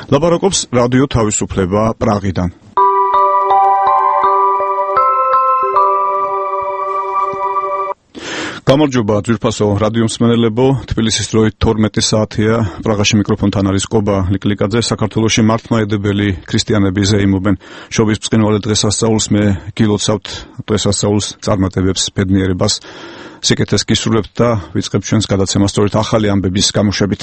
ლაპარაკობს რადიო თავისუფლება პრაღიდან. გამარჯობა ძვირფასო რადიო მსმენელებო, თბილისის დროით 12 საათია, პრაღაში მიკროფონთან არის კობა ლიკლიკაძე. საქართველოში მართლმადიდებელი ქრისტიანები ზეიმობენ შობის ბრწყინვალე დღესასწაულს, მე გილოცავთ დღესასწაულს წარმატებებს, ბედნიერებას, სიკეთეს გისურვებთ და ვიწყებთ ჩვენს გადაცემას სწორედ ახალი ამბების გამოშვებით.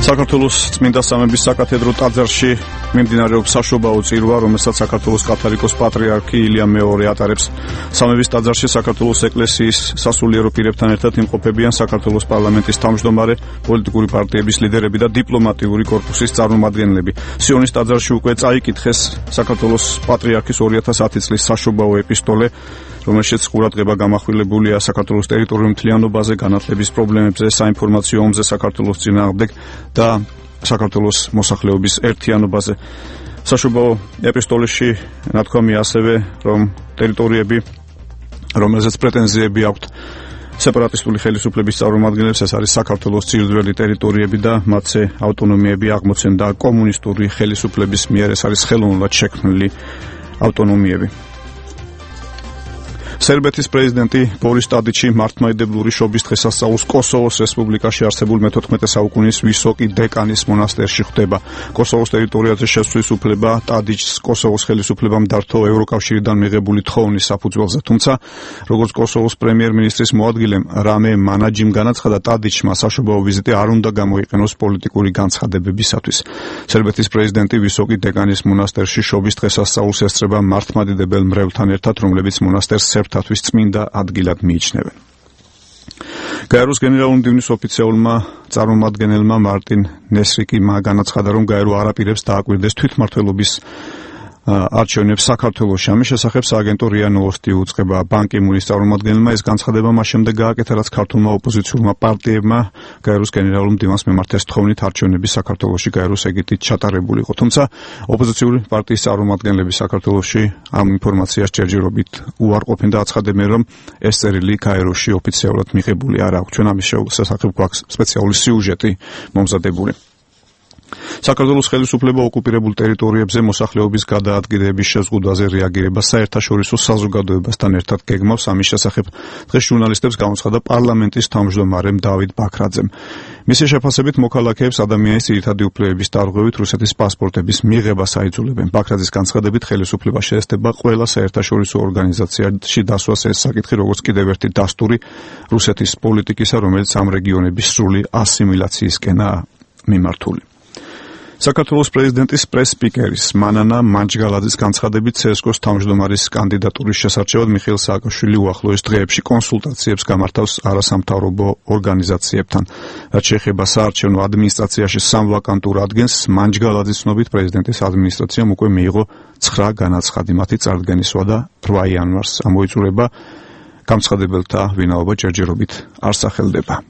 საქართველოს წმინდა სამების საკათედრო ტაძარში მიმდინარეობს საშობაო წირვა, რომელსაც საქართველოს კათოლიკოს პატრიარქი ილია მეორე ატარებს. სამების ტაძარში საქართველოს ეკლესიის სასულიერო პირებთან ერთად იმყოფებიან საქართველოს პარლამენტის თავმჯდომარე, პოლიტიკური პარტიების ლიდერები და დიპლომატიური კორპუსის წარმომადგენლები. სიონის ტაძარში უკვე წაიკითხეს საქართველოს პატრიარქის 2010 წლის საშობაო ეპისტოლე, რომელშიც ყურადღება გამახვილებულია საქართველოს ტერიტორიულ მთლიანობაზე, განათლების პრობლემებზე, საინფორმაციო ომზე საქართველოს წინააღმდეგ და საქართველოს მოსახლეობის ერთიანობაზე. საშობაო ეპისტოლეში ნათქვამია ასევე, რომ ტერიტორიები, რომელზეც პრეტენზიები აქვთ სეპარატისტული ხელისუფლების წარმომადგენლებს, ეს არის საქართველოს ძირითადი ტერიტორიები და მათზე ავტონომიები აღმოცენდა კომუნისტური ხელისუფლების მიერ, ეს არის ხელოვნურად შექმნილი ავტონომიები. სერბეთის პრეზიდენტი ბორის ტადიჩი მართლმადიდებლური შობის დღესასწაულს კოსოვოს რესპუბლიკაში არსებულ მე-14 საუკუნის ვისოკი დეკანის მონასტერში ხვდება. კოსოვოს ტერიტორიაზე შესვლის უფლება ტადიჩს კოსოვოს ხელისუფლებამ დართო ევროკავშირიდან მიღებული თხოვნის საფუძველზე, თუმცა როგორც კოსოვოს პრემიერ-მინისტრის მოადგილემ რამე მანაჯიმ განაცხადა, ტადიჩმა საშობაო ვიზიტი არ უნდა გამოიყენოს პოლიტიკური განცხადებებისათვის. სერბეთის პრეზიდენტი ვისოკი დეკანის მონასტერში შობის დღესასწაულს ესწრება მართლმადიდებელ მრევლთან ერთად, რომლებიც მონასტერს თვის წმინდა ადგილად მიიჩნევენ. გაეროს გენერალური მდივნის ოფიციალურმა წარმომადგენელმა მარტინ ნესრიკმა განაცხადა, რომ გაერო არ აპირებს დააკვირდეს თვითმმართველობის არჩევნებს საქართველოში. ამის შესახებ სააგენტო რია ნოვოსტი უწყება ბან კი მუნის წარმომადგენელმა. ეს განცხადება მას შემდეგ გააკეთა, რაც ქართულმა ოპოზიციურმა პარტიებმა გაეროს გენერალურ მდივანს მიმართეს თხოვნით არჩევნები საქართველოში გაეროს ეგეთით ჩატარებულიყო. თუმცა ოპოზიციური პარტიის წარმომადგენლები საქართველოში ამ ინფორმაციას ჯერჯერობით უარყოფენ და აცხადებენ, რომ ეს წერილი გაეროში ოფიციალურად მიღებული არ აქვს. ჩვენ ამის შესახებ გვაქვს სპეციალური სიუჟეტი მომზადებული. საქართველოს ხელისუფლება ოკუპირებულ ტერიტორიებზე მოსახლეობის გადაადგილების შეზღუდვაზე რეაგირება საერთაშორისო საზოგადოებასთან ერთად გეგმავს. ამის შესახებ დღეს ჟურნალისტებს გამოცხადა პარლამენტის თავმჯდომარემ დავით ბაქრაძემ. მისი შეფასებით მოქალაქეებს ადამიანის ძირითადი უფლებების დარღვევით რუსეთის პასპორტების მიღებას აიძულებენ. ბაქრაძის განცხადებით ხელისუფლება შეესწება ყველა საერთაშორისო ორგანიზაციაში დასვას ეს საკითხი, როგორც კიდევ ერთი დასტური რუსეთის პოლიტიკისა, რომელიც ამ რეგიონების სრული ასიმილაციისკენაა მიმართული. საქართველოს პრეზიდენტის პრეს-სპიკერის მანანა მანჯგალაძის განცხადებით CSKO-ს თავმჯდომარის კანდიდატურის შესარჩევად მიხეილ სააკაშვილი უახლოეს დღეებში კონსულტაციებს გამართავს არასამთავრობო ორგანიზაციებთან. რაც შეეხება საარჩევნო ადმინისტრაციაში 3 ვაკანტურ ადგენს, მანჯგალაძის ცნობით პრეზიდენტის ადმინისტრაციამ უკვე მიიღო 9 განაცხადი, მათი წარდგენისვა და 8 იანვარს ამოიწურება. გამცხადებელთა ვინაობა ჯერჯერობით არ სახელდება.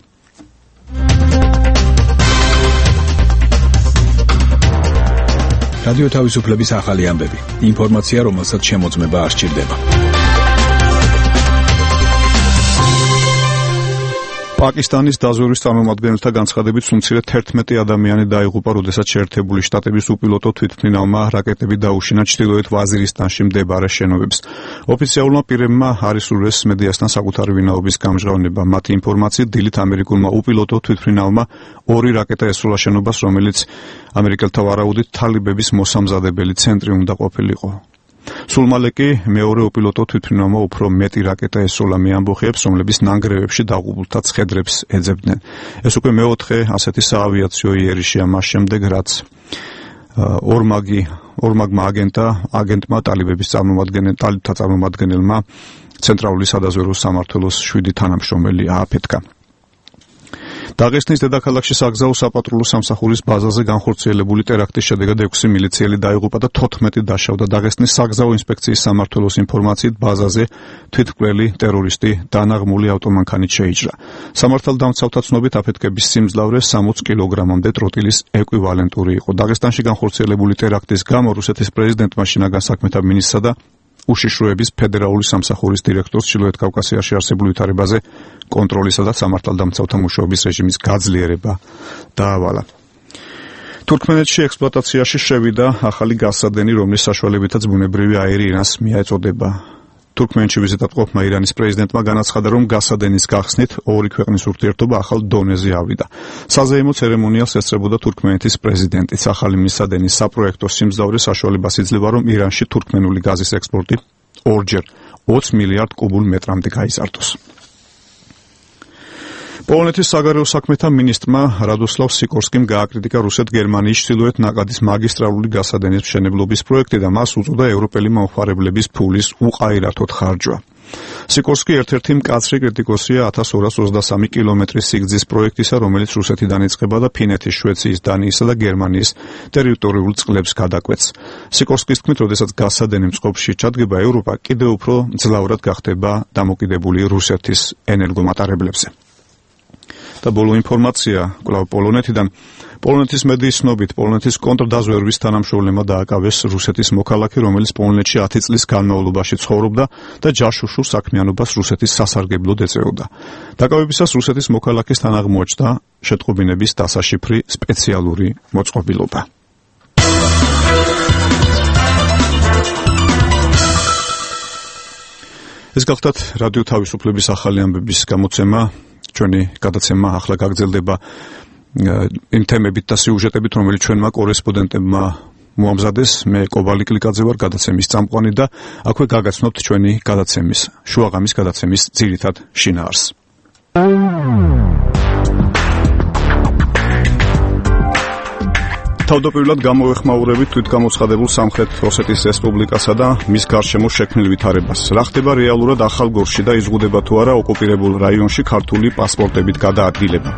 რადიო თავისუფლების ახალი ამბები. ინფორმაცია, რომელსაც შემოწმება არ სჭირდება. პაკისტანის დაზვერვის წარმომადგენელთა განცხადებით უმცირედ 11 ადამიანი დაიღუპა, როდესაც შეერთებული შტატების უპილოტო თვითმფრინავმა რაკეტები დაუშინა ჩრდილოეთ ვაზირისტანში მდებარე შენობებს. ოფიციალურმა პირებმა არ ისურვეს მედიასთან საკუთარი ვინაობის გამჟღავნება. მათი ინფორმაციით, დილით ამერიკულმა უპილოტო თვითმფრინავმა 2 რაკეტა ესროლა შენობას, რომელიც ამერიკელთა ვარაუდით თალიბების მოსამზადებელი ცენტრი უნდა ყოფილიყო. სულ მალე კი მეორე უპილოტო თვითმფრინავმა უფრო მეტი რაკეტა ესროლა მე ამბოხებს, რომლებიც ნანგრევებში დაღუპულთა ცხედრებს ეძებდნენ. ეს უკვე მეოთხე ასეთი საავიაციო იერიშია მას შემდეგ, რაც ორმაგმა აგენტმა ტალიბების წარმომადგენელმა ცენტრალური სადაზვერვო სამმართველოს 7 თანამშრომელი ააფეთქა. დაღესტნის დედაქალაქში საგზაო საპატრულო სამსახურის ბაზაზე განხორციელებული ტერაქტის შედეგად 6 მილიციელი დაიღუპა და 14 დაშავდა. დაღესტნის საგზაო ინსპექციის სამმართველოს ინფორმაციით, ბაზაზე თვითმკვლელი ტერორისტი დანაღმული ავტომანქანით შეიჭრა. სამართალდამცავთა ცნობით აფეთქების სიმძლავრე 60 კილოგრამამდე ტროტილის ეკვივალენტური იყო. დაღესტანში განხორციელებული ტერაქტის გამო რუსეთის პრეზიდენტმა შინაგან საქმეთა მინისტრსა და უშიშროების ფედერალური სამსახურის დირექტორს ჩრდილოეთ კავკასიაში არსებულ ვითარებაზე კონტროლისა და სამართალდამცავთა მუშაობის რეჟიმის გაძლიერება დაავალა. თურქმენეთში ექსპლუატაციაში შევიდა ახალი გაზსადენი, რომლის საშუალებითაც ბუნებრივი აირი ირანს მიეწოდება. თურქმენეთში ვიზიტად ყოფნა ირანის პრეზიდენტმა განაცხადა, რომ გაზსადენის გახსნით ორი ქვეყნის ურთიერთობა ახალ დონეზე ავიდა. საზეიმო ცერემონიალს ესწრებოდა თურქმენეთის პრეზიდენტიც. ახალი მისადენის საპროექტო სიმძლავრე საშუალებას იძლევა, რომ ირანში თურქმენული გაზის ექსპორტი ორჯერ 20 მილიარდ კუბურ მეტრამდე გაიზარდოს. პოლონეთის საგარეო საქმეთა მინისტრმა რადოსლავ სიკორსკიმ გააკრიტიკა რუსეთ-გერმანიის ჩრდილოეთ ნაკადის მაგისტრალური გაზსადენის მშენებლობის პროექტი და მას უწოდა ევროპელი მომხმარებლების ფულის უყაირართოდ ხარჯვა. სიკორსკი ერთ-ერთი მკაცრი კრიტიკოსია 1223 კილომეტრის სიგრძის პროექტისა, რომელიც რუსეთიდან იწყება და ფინეთის, შვეიცრიის, დანიისა და გერმანიის ტერიტორიულ წყლებს გადაკვეთს. სიკორსკის თქმით, როდესაც გაზსადენი მწყობში ჩადგება, ევროპა კიდევ უფრო ძლავრად გახდება დამოკიდებული რუსეთის ენერგომატარებლებზე. და ბოლო ინფორმაცია კვლავ პოლონეთიდან. პოლონეთის მედიის ცნობით, პოლონეთის კონტრდაზვერვის თანამშრომლებმა დააკავეს რუსეთის მოქალაქე, რომელიც პოლონეთში 10 წლის განმავლობაში ცხოვრობდა და ჯაშუშურ საქმიანობას რუსეთის სასარგებლოდ ეწეოდა. დაკავებისას რუსეთის მოქალაქესთან აღმოაჩნდა შეტყობინების დასაშიფრი სპეციალური მოწყობილობა. ეს გახლდათ რადიო თავისუფლების ახალი ამბების გამოცემა. ჩვენი გადაცემა ახლა გაგრძელდება იმ თემებით და სიუჟეტებით, რომელიც ჩვენმა კორესპონდენტებმა მოამზადეს. მე კობალი კლიკაძე ვარ, გადაცემის წამყვანი და აქვე გაგაცნობთ ჩვენი გადაცემის, შუაღამის გადაცემის ძირითად შინაარსს. თავდაპირველად გამოვეხმაურებით თვითგამოცხადებულ სამხრეთ ოსეთის რესპუბლიკასა და მის გარშემო შექმნილ ვითარებას. რა ხდება რეალურად ახალგორში და იზღუდება თუ არა ოკუპირებულ რაიონში ქართული პასპორტებით გადაადგილება?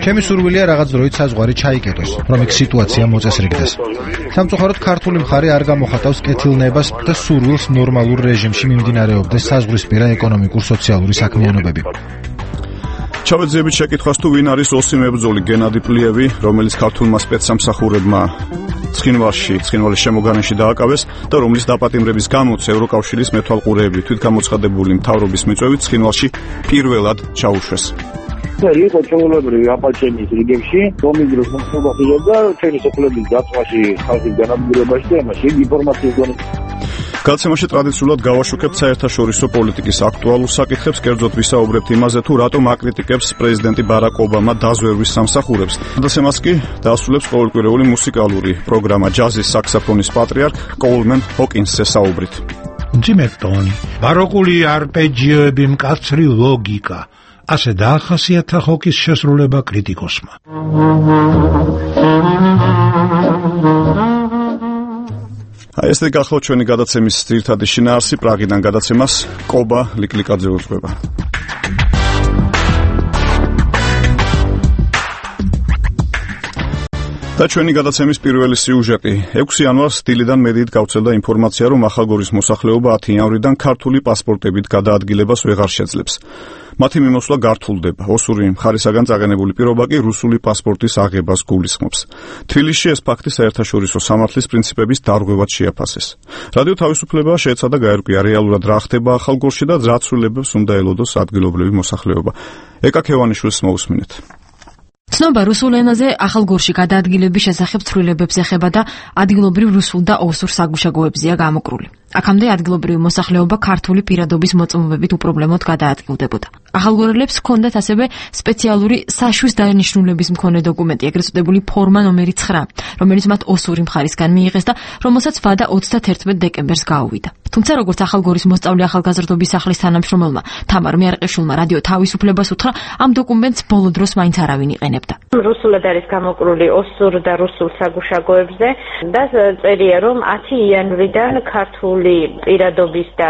ჩემი სურვილია რაღაც დროით საზღვარი ჩაიკეტოს, რომ იქ სიტუაცია მოწესრიგდეს. სამწუხაროდ ქართული მხარე არ გამოხატავს კეთილნებას და სურვილს ნორმალურ რეჟიმში მიმდინარეობდეს საზღვრისპირა ეკონომიკურ-სოციალური საქმიანობები. ჩავეძიებით შეკითხვას თუ ვინ არის ოსი მებრძოლი გენადი პლიევი, რომელიც ქართულმა სპეცსამსახურებმა ცხინვალის შემოგარენში დააკავეს და რომლის დაპატიმრების გამოც ევროკავშირის მეთვალყურეები თვითგამოცხადებული მთავრობის მიწვევით ცხინვალში პირველად ჩაუშვეს. იყო ჩვეულებრივი აპაჩენის რიგებში, დომიდროს მოხდება და ჩვენი სოფლების დაწვაში, ხალხის განადგურებაში და ამაში ინფორმაციის დონე. გადაცემაში ტრადიციულად გავაშუქებთ საერთაშორისო პოლიტიკის აქტუალურ საკითხებს, კერძოდ ვისაუბრებთ იმაზე, თუ რატომ აკრიტიკებს პრეზიდენტი ბარაკ ობამა დაზვერვის სამსახურებს. გადაცემას კი დაასრულებს ყოველკვირეული მუსიკალური პროგრამა ჯაზის საქსოფონის პატრიარქ კოულმენ ჰოკინსზე საუბრით. მძიმე ტონი, ბაროკული არპეჯიოები, მკაცრი ლოგიკა. ასე დაახასიათა ჰოკის შესრულება კრიტიკოსმა. ეს გახლავთ ჩვენი გადაცემის ძირითადი შინაარსი. პრაღიდან გადაცემას კობა ლიკლიკაძე უძღვება. და ჩვენი გადაცემის პირველი სიუჟეტი. 6 იანვარს დილიდან მედიით გავრცელდა ინფორმაცია, რომ ახალგორის მოსახლეობა 10 იანვრიდან ქართული პასპორტებით გადაადგილებას ვეღარ შეძლებს. მათი მიმოსვლა გართულდება. ოსური მხარისაგან წაგენებული პირობა კი რუსული პასპორტის აღებას გულისხმობს. თბილისში ეს ფაქტი საერთაშორისო სამართლის პრინციპების დარღვევად შეაფასეს. რადიო თავისუფლება შეეცადა გაერკვია რეალურად რა ხდება ახალგორში და რა ცვლილებებს უნდა ელოდოს ადგილობრივი მოსახლეობა. ეკა ქევანიშვილს მოусმინეთ. ცნობა რუსულ ენაზე ახალგორში გადაადგილების შესახებ ცვლილებებს ეხება და ადგილობრივ რუსულ და ოსურ საგუშაგოებზეა გამოკრული. აქამდე ადგილობრივი მოსახლეობა ქართული პირადობის მოწმობებით უპრობლემოდ გადაადგილდებოდა. ახალგორელებს ჰქონდათ ასევე სპეციალური საშვის დანიშნულების მქონე დოკუმენტი, ეგრეთ წოდებული ფორმა ნომერი 9, რომელიც მათ ოსური მხარისგან მიიღეს და რომელსაც ვადა 31 დეკემბერს გაუვიდა. თუმცა როგორც ახალგორის მოსწავლე ახალგაზრდობის სახლის თანამშრომელმა თამარ მიარყიშვილმა რადიო თავისუფლებას უთხრა, ამ დოკუმენტს ბოლო დროს მაინც არავინ იყენებდა. რუსულად არის გამოკრული ოსურ და რუსულ საგუშაგოებზე და წერია, რომ 10 იანვრიდან ქართული პირადობის და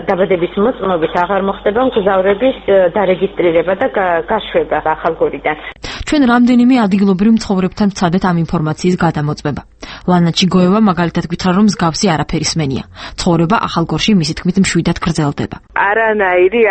დაბადების მოწმობით აღარ მოხდება მგზავრების დარეგისტრირება და გაშვება ახალგორიდან. ჩვენ რამდენიმე ადგილობრივ მცხოვრებთან ვცადეთ ამ ინფორმაციის გადამოწმება. ლანა ჩიგოევა მაგალითად გითხრა, რომ მსგავსი არაფერი სმენია. ცხოვრება ახალგორში მისი თქმით მშვიდად გრძელდება. არანაირი,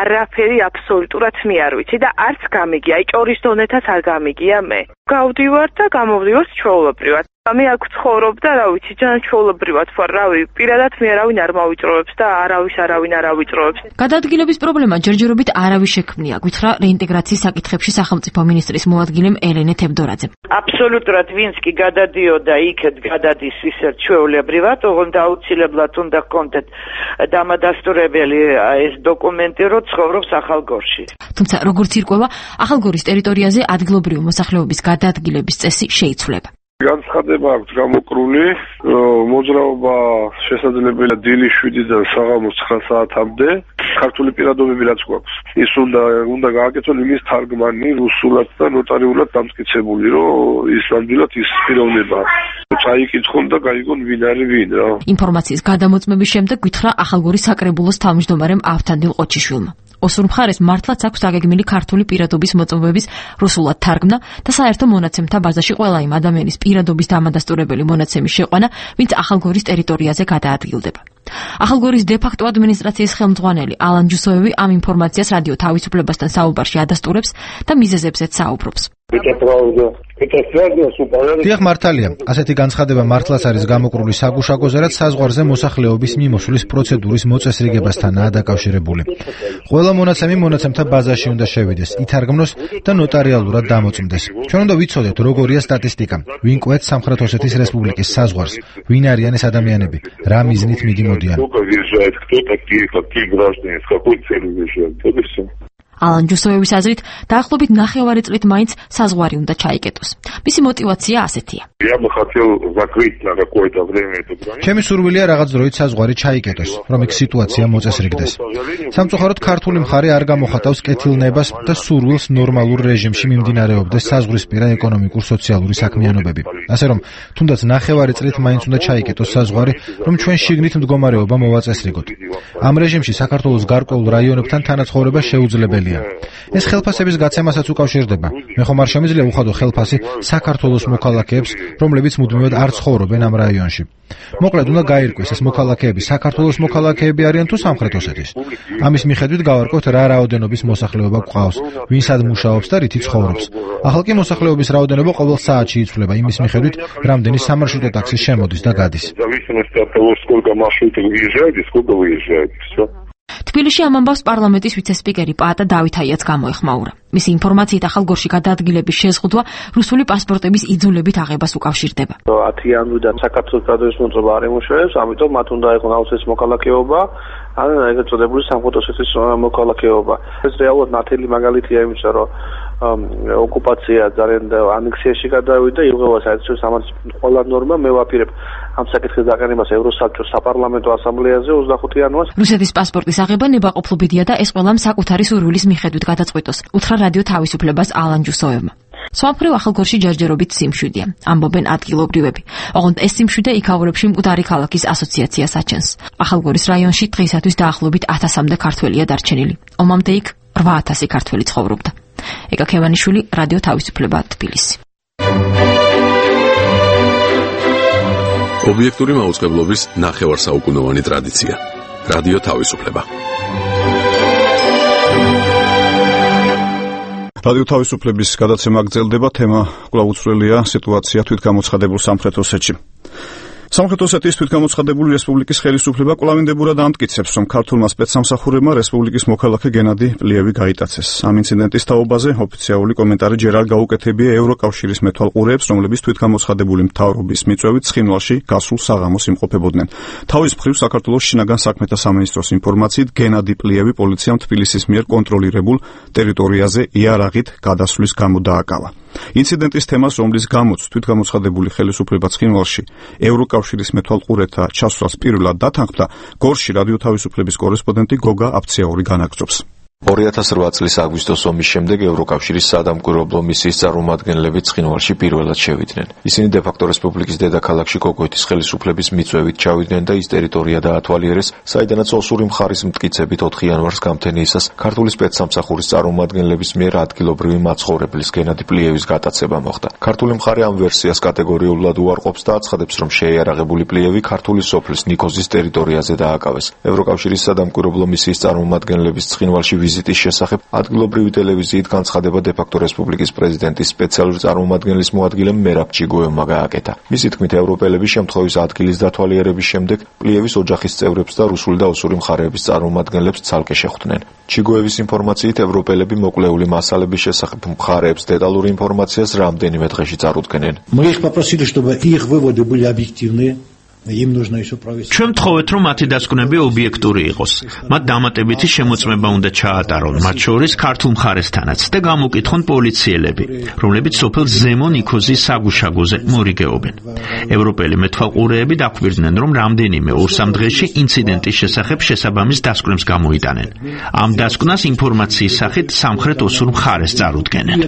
არაფერი აბსოლუტურად მე არ ვიცი და არც გამიგია, ჭორის დონეთაც არ გამიგია მე. გავდივარ და გამოვდივარ ჩვეულებრივად. მე აქ ცხოვრობ და რა ვიცი, ჯანმრთელობრივად ვარ, პირადად მე არავინ არ მოვიწროებს და არავინ არ ავიწროებს. გადაადგილების პრობლემა ჯერჯერობით არავის შექმნია, გითხრა რეინტეგრაციის საკითხებში სახელმწიფო მინისტრის მოადგილემ ელენე თევდორაძე. აბსოლუტურად ვინც კი გადადიოდა იქეთ გადადის ისეთ ჩვეულებრივად, ოღონდ აუცილებლად უნდა ჰქონდეთ დამადასტურებელი ეს დოკუმენტი, რომ ცხოვრობს ახალგორში. თუმცა როგორც ირკვევა, ახალგორის ტერიტორიაზე ადგილობრივი მოსახლეობის გადაადგილების წესი შეიცვლება. განცხადება აქვს გამოკრული, მოძრაობა შესაძლებელია დილის 7-დან საღამოს 9 საათამდე. ქართული პირადობები რაც გვაქვს, ის უნდა გააკეთოს იმის თარგმანი რუსულად და ნოტარიულად დამტკიცებული, რომ ის ნამდვილად ის პიროვნება წაიკითხონ და გაიგონ ვინ არის ვინ რა. ინფორმაციის გადამოწმების შემდეგ გითხრა ახალგორის საკრებულოს თავმჯდომარემ ავთანდილ ყოჩიშვილმა. ოსურ მხარეს მართლაც აქვს დაგეგმილი ქართული პირადობის მოწმობების რუსულად თარგმნა და საერთო მონაცემთა ბაზაში ყველა იმ ადამიანის პირადობის დამადასტურებელი მონაცემის შეყვანა, ვინც ახალგორის ტერიტორიაზე გადაადგილდება. ახალგორის დე-ფაქტო ადმინისტრაციის ხელმძღვანელი ალან ჯუსოევი ამ ინფორმაციას რადიო თავისუფლებასთან საუბარში ადასტურებს და მიზეზებზეც საუბრობს. დიახ, მართალია, ასეთი განცხადება მართლაც არის გამოკრული საგუშაგოზე, რაც საზღვარზე მოსახლეობის მიმოსვლის პროცედურის მოწესრიგებასთანაა დაკავშირებული. ყველა მონაცემი მონაცემთა ბაზაში უნდა შევიდეს, ითარგმნოს და ნოტარიალურად დამოწმდეს. ჩვენ უნდა ვიცოდეთ, როგორია სტატისტიკა, ვინ კვეთს სამხრეთ ოსეთის რესპუბლიკის საზღვარს, ვინ არიან ეს ადამიანები, რა მიზნით მიდიმოდიან. ალან ჯუსოევის აზრით, დაახლოებით 9 წლით მაინც საზღვარი უნდა ჩაიკეტოს. მისი мотивация ასეთია. ჩემი სურვილია რაღაც დროით საზღვარი ჩაიკეტოს, რომ იქ სიტუაცია მოწესრიგდეს. სამწუხაროდ ქართული მხარე არ გამოხატავს კეთილნებას და სურვილს ნორმალურ რეჟიმში მიმდინარეობდეს საზღვრისპირა ეკონომიკურ-სოციალური საქმიანობები. ასე რომ, თუნდაც 9 წლით მაინც უნდა ჩაიკეტოს საზღვარი, რომ ჩვენ შიგნით მდგომარეობა მოვაწესრიგოთ. ამ რეჟიმში საქართველოს გარკვეულ რაიონებთან თანაცხოვრება შეუძლებელია. ეს ხელფასების გაცემასაც უკავშირდება. მე ხომ არ შემიძლია უხადო ხელფასი საქართველოს მოქალაქეებს, რომლებიც მუდმივად არ ცხოვრობენ ამ რაიონში. მოკლედ უნდა გაირკვეს ეს მოქალაქეები საქართველოს მოქალაქეები არიან თუ სამხრეთ ოსეთის. ამის მიხედვით გავარკვევთ რა რაოდენობის მოსახლეობა გვყავს, ვინ სად მუშაობს და რითი ცხოვრობს. ახალ კი მოსახლეობის რაოდენობა ყოველ საათში იცვლება იმის მიხედვით, რამდენი სამარშრუტო ტაქსი შემოდის და გადის. თბილისში ამ ამბავს პარლამენტის ვიცე-სპიკერი პაატა დავითაიაც გამოეხმაურა. მისი ინფორმაციით ახალგორში გადაადგილების შეზღუდვა რუსული პასპორტების იძულებით აღებას უკავშირდება. 10 იანვრიდან საქართველოს გადადის მოწოება არ ემუშავებს, ამიტომ მათ უნდა ეყონ აუცილებლად მოქალაქეობა, ან ეგრეთ წოდებული სამხრეთ ოსეთის მოქალაქეობა. ეს რეალურად ნათელი მაგალითია იმისა, რომ ოკუპაცია ძალიან ანექსიაში გადავიდა, იღება საერთაშორისო სამართლის ყველა ნორმა. მე ვაპირებ ამ საკითხის დაყენებას ევროსაბჭოს საპარლამენტო ასამბლეაზე 25 იანვარს. რუსეთის პასპორტის აღება ნებაყოფლობიდია და ეს ყველამ საკუთარი სურვილის მიხედვით გადაწყვიტოს. უთხრა რადიო თავისუფლებას ალან ჯუსოევმა. სვამფრივ ახალგორში ჯერჯერობით სიმშვიდეა, ამბობენ ადგილობრივები. ოღონდ ეს სიმშვიდე იქაურებში მკვდარი ქალაქის ასოციაციას აჩენს. ახალგორის რაიონში დღეისათვის დაახლოებით 1000-მდე ქართველია დარჩენილი. ომამდე იქ 8000 ქართველი ცხოვრობდა. ეკა ქევანიშვილი, რადიო თავისუფლება, თბილისი. ობიექტური მაუწყებლობის 9 საუკუნოვანი ტრადიცია. რადიო თავისუფლება. რადიო თავისუფლების გადაცემა გრძელდება, თემა კვლავ უცვლელია სიტუაცია თვითგამოცხადებულ სამხრეთ ოსეთში. სამხრეთ ოსეთის თვითგამოცხადებული რესპუბლიკის ხელისუფლება კვლავინდებურად ამტკიცებს, რომ ქართულმა სპეცსამსახურებმა რესპუბლიკის მოქალაქე გენადი პლიევი გაიტაცეს. ამ ინციდენტის თაობაზე ოფიციალური კომენტარი ჯერ არ გაუკეთებია ევროკავშირის მეთვალყურეებს, რომლებიც თვითგამოცხადებული მთავრობის მიწვევით ცხინვალში გასულ საღამოს იმყოფებოდნენ. თავის მხრივ საქართველოს შინაგან საქმეთა სამინისტროს ინფორმაციით გენადი პლიევი პოლიციამ თბილისის მიერ კონტროლირებულ ტერიტორიაზე იარაღით გადასვლის გამო დააკავა. ინციდენტის თემას, რომლის გამოც თვითგამოცხადებული ხელისუფლება ცხინვალში ევროკავშირის მეთვალყურეთა ჩასვლას პირველად დათანხმდა, გორში რადიო თავისუფლების კორესპონდენტი გოგა აფციაური განაგრძობს. 2008 წლის აგვისტოს ომის შემდეგ ევროკავშირის საადამკვირვებლო მისიის წარმომადგენლები ცხინვალში პირველად შევიდნენ. ისინი დე-ფაქტო რესპუბლიკის დედაქალაქში კოკვეთის ხელისუფლების მიწვევით ჩავიდნენ და ის ტერიტორია დაათვალიერეს, საიდანაც ოსური მხარის მტკიცებით 4 იანვარს გამთენიისას ქართული სპეცსამსახურის წარმომადგენლების მიერ ადგილობრივი მაცხოვრებლის გენადი პლიევის გატაცება მოხდა. ქართული მხარე ამ ვერსიას კატეგორიულად უარყოფს და აცხადებს, რომ შეიარაღებული პლიევი ქართული სოფლის ნიქოზის ტერიტორიაზე დააკავეს. ევროკავშირის საადამკვირვებლო მისიის წარმომადგენლების ცხინვალში ვიზიტის შესახებ ადგილობრივი ტელევიზიით განცხადება დე-ფაქტო რესპუბლიკის პრეზიდენტის სპეციალური წარმომადგენლის მოადგილემ მერაბ ჩიგოევმა გააკეთა. მისი თქმით, ევროპელები შემთხვევის ადგილის დათვალიერების შემდეგ პლიევის ოჯახის წევრებს და რუსული და ოსური მხარეების წარმომადგენლებს ცალკე შეხვდნენ. ჩიგოევის ინფორმაციით, ევროპელები მოკლეული მასალების შესახებ მხარეებს დეტალური ინფორმაციას რამდენიმე დღეში წარუდგენენ. Мы их попросили, чтобы их выводы были объективные. ჩვენ ვთხოვეთ, რომ მათი დასკვნები ობიექტური იყოს. მათ დამატებითი შემოწმება უნდა ჩაატარონ, მათ შორის ქართულ მხარესთანაც და გამოკითხონ პოლიციელები, რომლებიც სოფელ ზემო ნიქოზის საგუშაგოზე მორიგეობენ. ევროპელი მეთვალყურეები დაკვირდნენ, რომ რამდენიმე 2-3 დღეში ინციდენტის შესახებ შესაბამის დასკვნებს გამოიტანენ. ამ დასკვნას ინფორმაციის სახით სამხრეთ ოსურ მხარეს წარუდგენენ.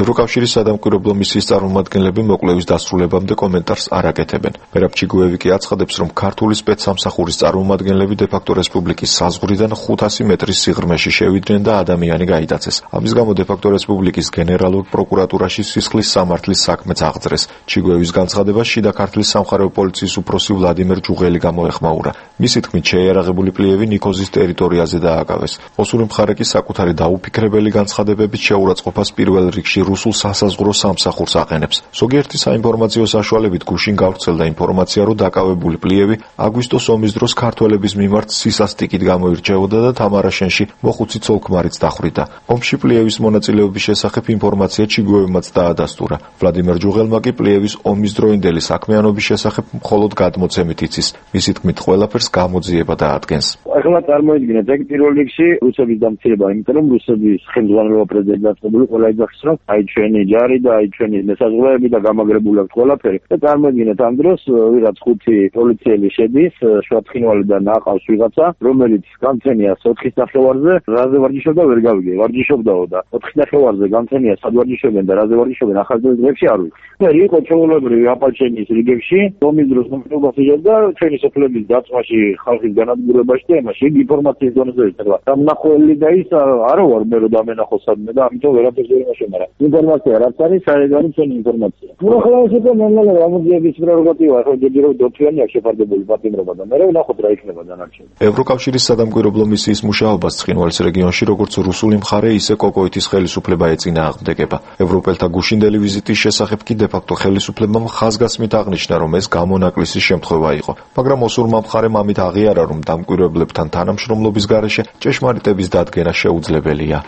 ევროკავშირის სადამკვირვებლო მისიის წარმომადგენლები მოკლევის დასრულებამდე კომენტარს არ აკეთებენ. მერაბ ჩიგოევი კი აცხადებს, რომ ქართული სპეცსამსახურის წარმომადგენლები დე-ფაქტო რესპუბლიკის საზღვრიდან 500 მეტრის სიღრმეში შევიდნენ და ადამიანი გაიტაცეს. ამის გამო დე-ფაქტო რესპუბლიკის გენერალურ პროკურატურაში სისხლის სამართლის საქმეც აღძრეს. ჩიგოევის განცხადებას შიდა ქართლის სამხარეო პოლიციის უფროსი ვლადიმერ ჯუღელი გამოეხმაურა. მისი თქმით, შეიარაღებული პლიევი ნიქოზის ტერიტორიაზე დააკავეს. ოსური მხარე კი საკუთარი დაუფიქრებელი განცხადებებით შეურაცხყოფას პირველ რიგში რუსულ სასაზღვრო სამსახურს აყენებს. ზოგიერთი საინფორმაციო საშუალებით გუშინ გავრცელდა ინფორმაცია, რომ დაკავებული პლიევი აგვისტოს ომის დროს ქართველების მიმართ სისასტიკით გამოირჩეოდა და თამარაშენში მოხუცი ცოლ-ქმარიც დახვრიტა. ომში პლიევის მონაწილეობის შესახებ ინფორმაცია ჩიგოევმაც დაადასტურა. ვლადიმერ ჯუღელმა კი პლიევის ომისდროინდელი საქმიანობის შესახებ მხოლოდ გადმოცემით იცის. მისი თქმით, ყველაფერს გამოძიება დაადგენს. ახლა წარმოიდგინეთ, ეგ პირველ რიგში რუსების დამცირება, იმიტომ რომ რუსების ხელმძღვანელობა პრეზიდენტი დაწყებული ყველა იძახის, რომ აი ჩვენი ჯარი და აი ჩვენი მესაზღვრეები და გამაგრებული აქვს ყველაფერი. და წარმოიდგინეთ, ამ დროს ვიღაც 5 პოლიციელი შედის, შვათხინვალიდან აყავს ვიღაცა, რომელიც განცენიას 4:30-ზე, რაზე ვარჯიშობდა ვერ გავიგე, ვარჯიშობდაო და 4:30-ზე განცენიას სად ვარჯიშობენ და რაზე ვარჯიშობენ ახალგაზრდა დღეებში არ ვიცი. და იყო ჩვეულებრივი აპალჩენის რიგებში, ომის დროს მომხდარობა და ჩვენი სოფლების დაწვაში, ხალხის განადგურებაში და იმაში ინფორმაციის დონეზე ერთად. დამნახველი და ის არ ვარ მე რომ დამენახო სადმე და ამიტომ ვერაფერს ვერ იმაშენარა. ინფორმაცია რაც არის, საერთოდ ჩვენი ინფორმაცია. უახლოესება ნორმალურად გამოძიების პრეროგატივა, ხო ჯერ დოქტორი აქვს შეფარდებული პატიმრობა და მე ვნახოთ რა იქნება დანარჩენი. ევროკავშირის სადამკვირვებლო მისიის მუშაობას ცხინვალის რეგიონში როგორც რუსული მხარე, ისე კოკოითის ხელისუფლება ეწინააღმდეგება. ევროპელთა გუშინდელი ვიზიტის შესახებ კი დე-ფაქტო ხელისუფლებამ ხაზგასმით აღნიშნა, რომ ეს გამონაკლისის შემთხვევა იყო, მაგრამ ოსურმა მხარემ ამით აღიარა, რომ დამკვირვებლებთან თანამშრომლობის გარეშე ჭეშმარიტების დადგენა შეუძლებელია.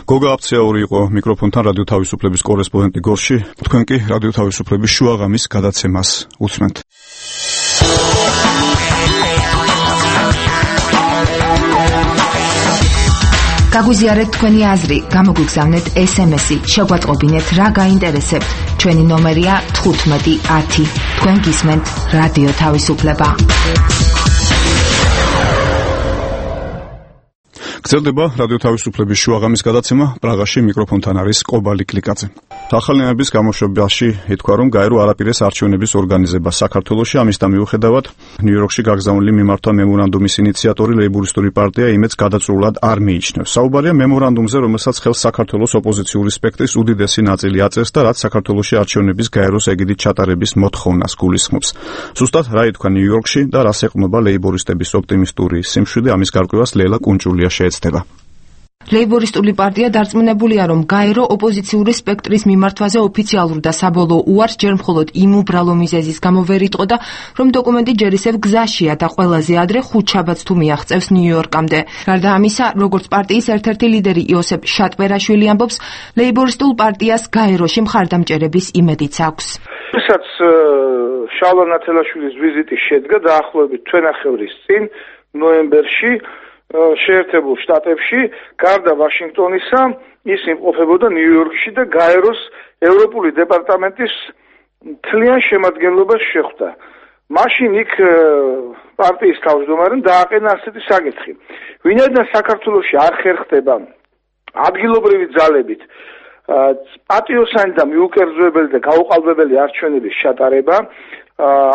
გოგა აფცეაური იყო მიკროფონთან რადიო თავისუფლების კორესპონდენტი გორში. თქვენ კი რადიო თავისუფლების შუაღამის გადაცემას უსმენთ. გაგვიზიარეთ თქვენი აზრი, გამოგვიგზავნეთ SMS-ი, შეგვატყობინეთ რა გაინტერესებთ. ჩვენი ნომერია 1510. თქვენ გისმენთ რადიო თავისუფლება. გრძელდება რადიო თავისუფლების შუაღამის გადაცემა. პრაღაში მიკროფონთან არის კობალი კლიკაძე. ახალნეების გამოშვებაში ითქვა, რომ გაერო არაპირეს არჩევნების ორგანიზებას საქართველოში, ამისთან მიუხედავად ნიუ-იორკში გაგზავნილი მიმართვა მემორანდუმის ინიციატორი ლეიბორისტული პარტია იმედს გადაწყვეტილად არ მიიჩნევს. საუბარია მემორანდუმზე, რომელსაც ხელს საქართველოს ოპოზიციური სპექტრის უდიდესი ნაწილი აწევს და რაც საქართველოში არჩევნების გაეროს ეგიდით ჩატარების მოთხოვნას გულისხმობს. ზუსტად რა ითქვა ნიუ-იორკში და რას ეყრდნობა ლეიბორისტების ოპტიმისტური სიმშვიდე, ამის გარკვევას ლელა კუნჭულია შეეცდება. ლეიბორისტული პარტია დარწმუნებულია, რომ გაერო ოპოზიციური სპექტრის მიმართვაზე ოფიციალურ და საბოლოო უარს ჯერ მხოლოდ იმ უბრალო მიზეზის გამო ვერ იტყოდა, რომ დოკუმენტი ჯერ ისევ გზაშია და ყველაზე ადრე ხუთშაბათს თუ მიაღწევს ნიუ-იორკამდე. გარდა ამისა, როგორც პარტიის ერთ-ერთი ლიდერი იოსებ შატბერაშვილი ამბობს, ლეიბორისტულ პარტიას გაეროში მხარდამჭერების იმედიც აქვს. როდესაც შალვა ნათელაშვილის ვიზიტი შედგა დაახლოებით თვენახევრის წინ ნოემბერში შეერთებულ შტატებში, გარდა ვაშინგტონისა, ის იმყოფებოდა ნიუ-იორკში და გაეროს ევროპული დეპარტამენტის მთლიან შემადგენლობას შეხვდა. მაშინ იქ პარტიის თავმჯდომარემ დააყენა ასეთი საკითხი. ვინაიდან საქართველოში არ ხერხდება ადგილობრივი ძალებით პატიოსანი და მიუკერძოებელი და გაუყალბებელი არჩევნების ჩატარება,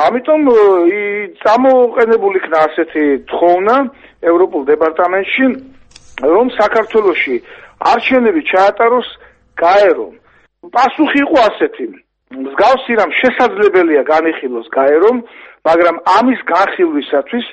ამიტომ წამოყენებული იქნა ასეთი თხოვნა ევროპულ დეპარტამენტში, რომ საქართველოში არჩევნები ჩაატაროს გაერომ. პასუხი იყო ასეთი: მსგავსი რამ შესაძლებელია განიხილოს გაერომ, მაგრამ ამის განხილვისათვის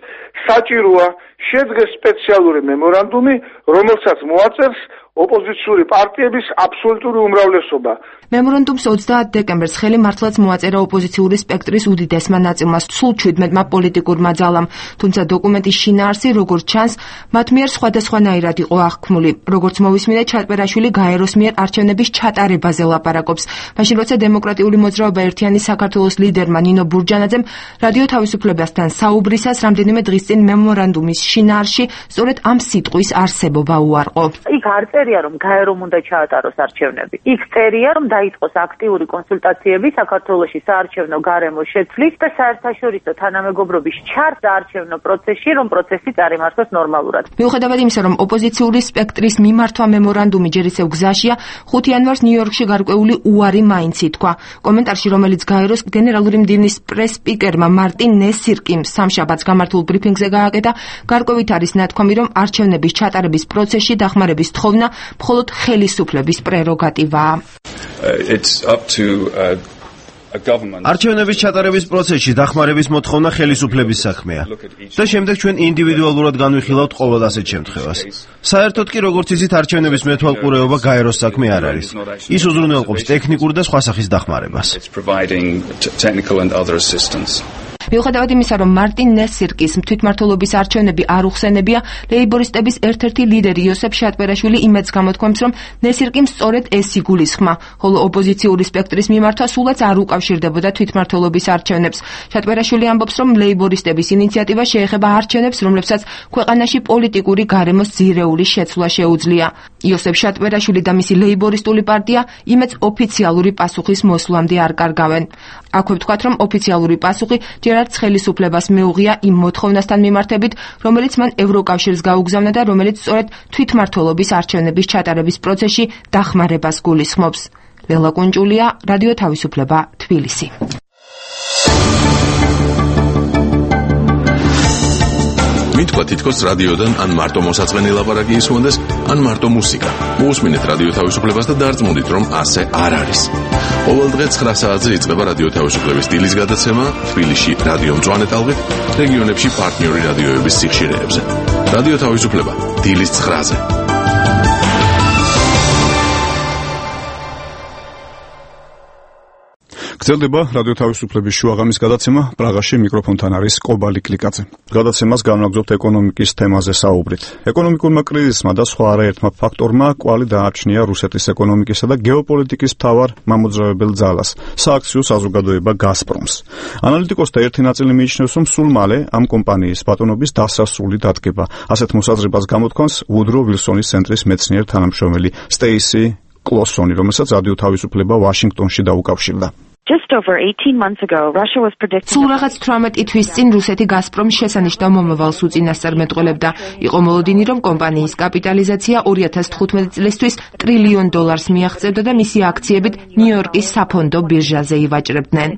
საჭიროა შედგეს სპეციალური მემორანდუმი, რომელსაც მოაწერს ოპოზიციური პარტიების აბსოლუტური უმრავლესობა. მემორანდუმს 30 დეკემბერს ხელი მართლაც მოაწერა ოპოზიციური სპექტრის უდიდესმა ნაწილმა, სულ 17-მა პოლიტიკურმა ძალამ, თუმცა დოკუმენტის შინაარსი, როგორც ჩანს, მათ მიერ სხვადასხვანაირად იყო აღქმული. როგორც მოვისმინე, ჩატბერაშვილი გაეროს მიერ არჩევნების ჩატარებაზე ლაპარაკობს. მაშინ როცა დემოკრატიული მოძრაობა ერთიანი საქართველოს ლიდერმა ნინო ბურჯანაძემ რადიო თავისუფლებასთან საუბრისას რამდენიმე დღის წინ მემორანდუმის შინაარსში სწორედ ამ სიტყვის არსებობა უარყო. იქ არ წერია, რომ გაერომ უნდა ჩაატაროს არჩევნები. იქ წერია, რომ დაიწყოს აქტიური კონსულტაციები საქართველოში საარჩევნო გარემოს შეცვლის და საერთაშორისო თანამეგობრობის ჩარს საარჩევნო პროცესში, რომ პროცესი წარიმართოს ნორმალურად. მიუხედავად იმისა, რომ ოპოზიციური სპექტრის მიმართვა მემორანდუმი ჯერ ისევ გზაშია, 5 იანვარს ნიუ-იორკში გარკვეული უარი მაინც ითქვა. კომენტარში, რომელიც გაეროს გენერალური მდივნის პრეს-სპიკერმა მარტინ ნესირკიმ სამშაბათს გამართულ ბრიფინგზე გააკეთა, გარკვევით არის ნათქვამი, რომ არჩევნების ჩატარების პროცესში დახმარების თხოვნა მხოლოდ ხელისუფლების პრეროგატივაა. არჩევნების ჩატარების პროცესში დახმარების მოთხოვნა ხელისუფლების საქმეა და შემდეგ ჩვენ ინდივიდუალურად განვიხილავთ ყოველ ასეთ შემთხვევას. საერთოდ კი როგორც იცით, არჩევნების მეთვალყურეობა გაეროს საქმე არ არის. ის უზრუნველყოფს ტექნიკურ და სხვა სახის დახმარებას. მიუხედავად იმისა, რომ მარტინ ნესირკის თვითმმართველობის არჩევნები არ უხსენებია, ლეიბორისტების ერთ-ერთი ლიდერი იოსებ შატბერაშვილი იმედს გამოთქვამს, რომ ნესირკიმ სწორედ ეს იგულისხმა, ხოლო ოპოზიციური სპექტრის მიმართვა სულაც არ უკავშირდებოდა თვითმმართველობის არჩევნებს. შატბერაშვილი ამბობს, რომ ლეიბორისტების ინიციატივა შეეხება არჩევნებს, რომლებსაც ქვეყანაში პოლიტიკური გარემოს ძირეული შეცვლა შეუძლია. იოსებ შატბერაშვილი და მისი ლეიბორისტული პარტია იმედს ოფიციალური პასუხის მოსვლამდე არ კარგავენ. აქვე ვთქვათ, რომ ოფიციალური პასუხი არც ხელისუფლებას მეუღია იმ მოთხოვნასთან მიმართებით, რომელიც მან ევროკავშირს გაუგზავნა და რომელიც სწორედ თვითმმართველობის არჩევნების ჩატარების პროცესში დახმარებას გულისხმობს. ლელა კუნჭულია, რადიო თავისუფლება, თბილისი. მითქვა თითქოს რადიოდან ან მარტო მოსაწყენი ლაპარაკი ისმონდეს, ან მარტო მუსიკა. მოусმინეთ რადიო თავისუფლებას და დარწმუნდით, რომ ასე არ არის. ყოველ დღე 9 საათზე იწყება რადიო თავისუფლების დილის გადაცემა თბილისში რადიო მწვანე ტალღით, რეგიონებში პარტნიორი რადიოების სიხშირეებზე. რადიო თავისუფლება დილის 9-ზე. გრძელდება რადიო თავისუფლების შუაღამის გადაცემა. პრაღაში მიკროფონთან არის კობალი კლიკაძე. გადაცემას განვაგრძობთ ეკონომიკის თემაზე საუბრით. ეკონომიკურმა კრიზისმა და სხვა არაერთმა ფაქტორმა კვალი დააჩნია რუსეთის ეკონომიკისა და გეოპოლიტიკის მთავარ მამოძრავებელ ძალას, სააქციო საზოგადოება გაზპრომს. ანალიტიკოსთა ერთი ნაწილი მიიჩნევს, რომ სულ მალე ამ კომპანიის ბატონობის დასასრული დადგება. ასეთ მოსაზრებას გამოთქვამს ვუდრო ვილსონის ცენტრის მეცნიერ თანამშრომელი სტეისი კლოსონი, რომელსაც რადიო თავისუფლება ვაშინგტონში დაუკავშირდა. Just over 18 months ago, Russia was predicting სულ რაღაც 18 თვის წინ რუსეთი გაზპრომს შესანიშნავ მომავალს უწინასწარ მეტყველებდა. იყო მოლოდინი, რომ კომპანიის კაპიტალიზაცია 2015 წლისთვის $1 ტრილიონ მიაღწევდა და მისი აქციებით ნიუ-იორკის საფონდო ბირჟაზე ივაჭრებდნენ.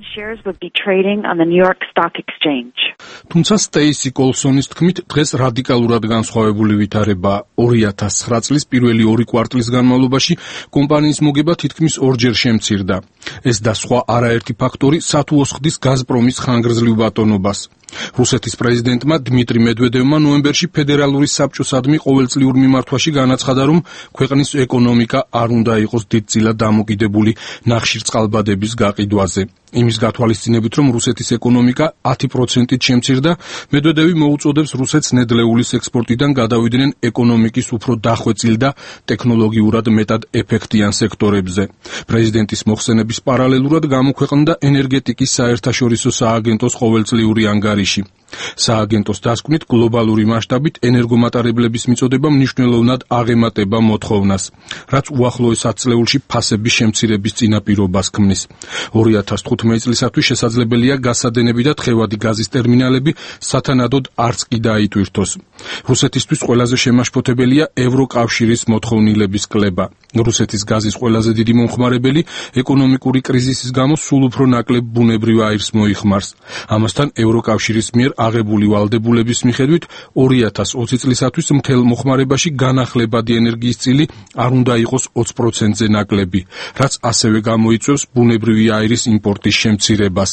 თუმცა სტეისი კოლსონის თქმით, დღეს რადიკალურად განსხვავებული ვითარებაა. 2009 წლის პირველი 2 კვარტლის განმავლობაში კომპანიის მოგება თითქმის 2-ჯერ შემცირდა. ეს და სხვა არაერთი ფაქტორი სათუოს ხდის გაზპრომის ხანგრძლივ ბატონობას. რუსეთის პრეზიდენტმა დმიტრი მედვედევმა ნოემბერში ფედერალური საბჭოსადმი ყოველწლიურ მიმართვაში განაცხადა, რომ ქვეყნის ეკონომიკა არ უნდა იყოს დიდწილად დამოკიდებული ნახშირწყალბადების გაყიდვაზე. იმის გათვალისწინებით, რომ რუსეთის ეკონომიკა 10%-ით შემცირდა, მედვედევი მოუწოდებს რუსეთს ნედლეულის ექსპორტიდან გადავიდნენ ეკონომიკის უფრო დახვეწილ და ტექნოლოგიურად მეტად ეფექტიან სექტორებზე. პრეზიდენტის მოხსენების პარალელურად გამოქვეყნდა ენერგეტიკის საერთაშორისო სააგენტოს ყოველწლიური ანგარიში. სააგენტოს დასკვნით გლობალური მასშტაბით ენერგომატარებლების მიწოდება მნიშვნელოვნად აღემატება მოთხოვნას, რაც უახლოეს 10 წლეულში ფასების შემცირების წინაპირობას ქმნის. 2015 წლისათვის შესაძლებელია გასადენები და თხევადი გაზის ტერმინალები სათანადოდ არც კი დაიტვირთოს. რუსეთისთვის ყველაზე შემაშფოთებელია ევროკავშირის მოთხოვნილების კლება. რუსეთის გაზის ყველაზე დიდი მომხმარებელი ეკონომიკური კრიზისის გამო სულ უფრო ნაკლებ ბუნებრივ აირს მოიხმარს. ამასთან ევროკავშირის მიერ აღებული ვალდებულების მიხედვით 2020 წლისათვის მთელ მოხმარებაში განახლებადი ენერგიის წილი არ უნდა იყოს 20%-ზე ნაკლები, რაც ასევე გამოიწვევს ბუნებრივი აირის იმპორტის შემცირებას.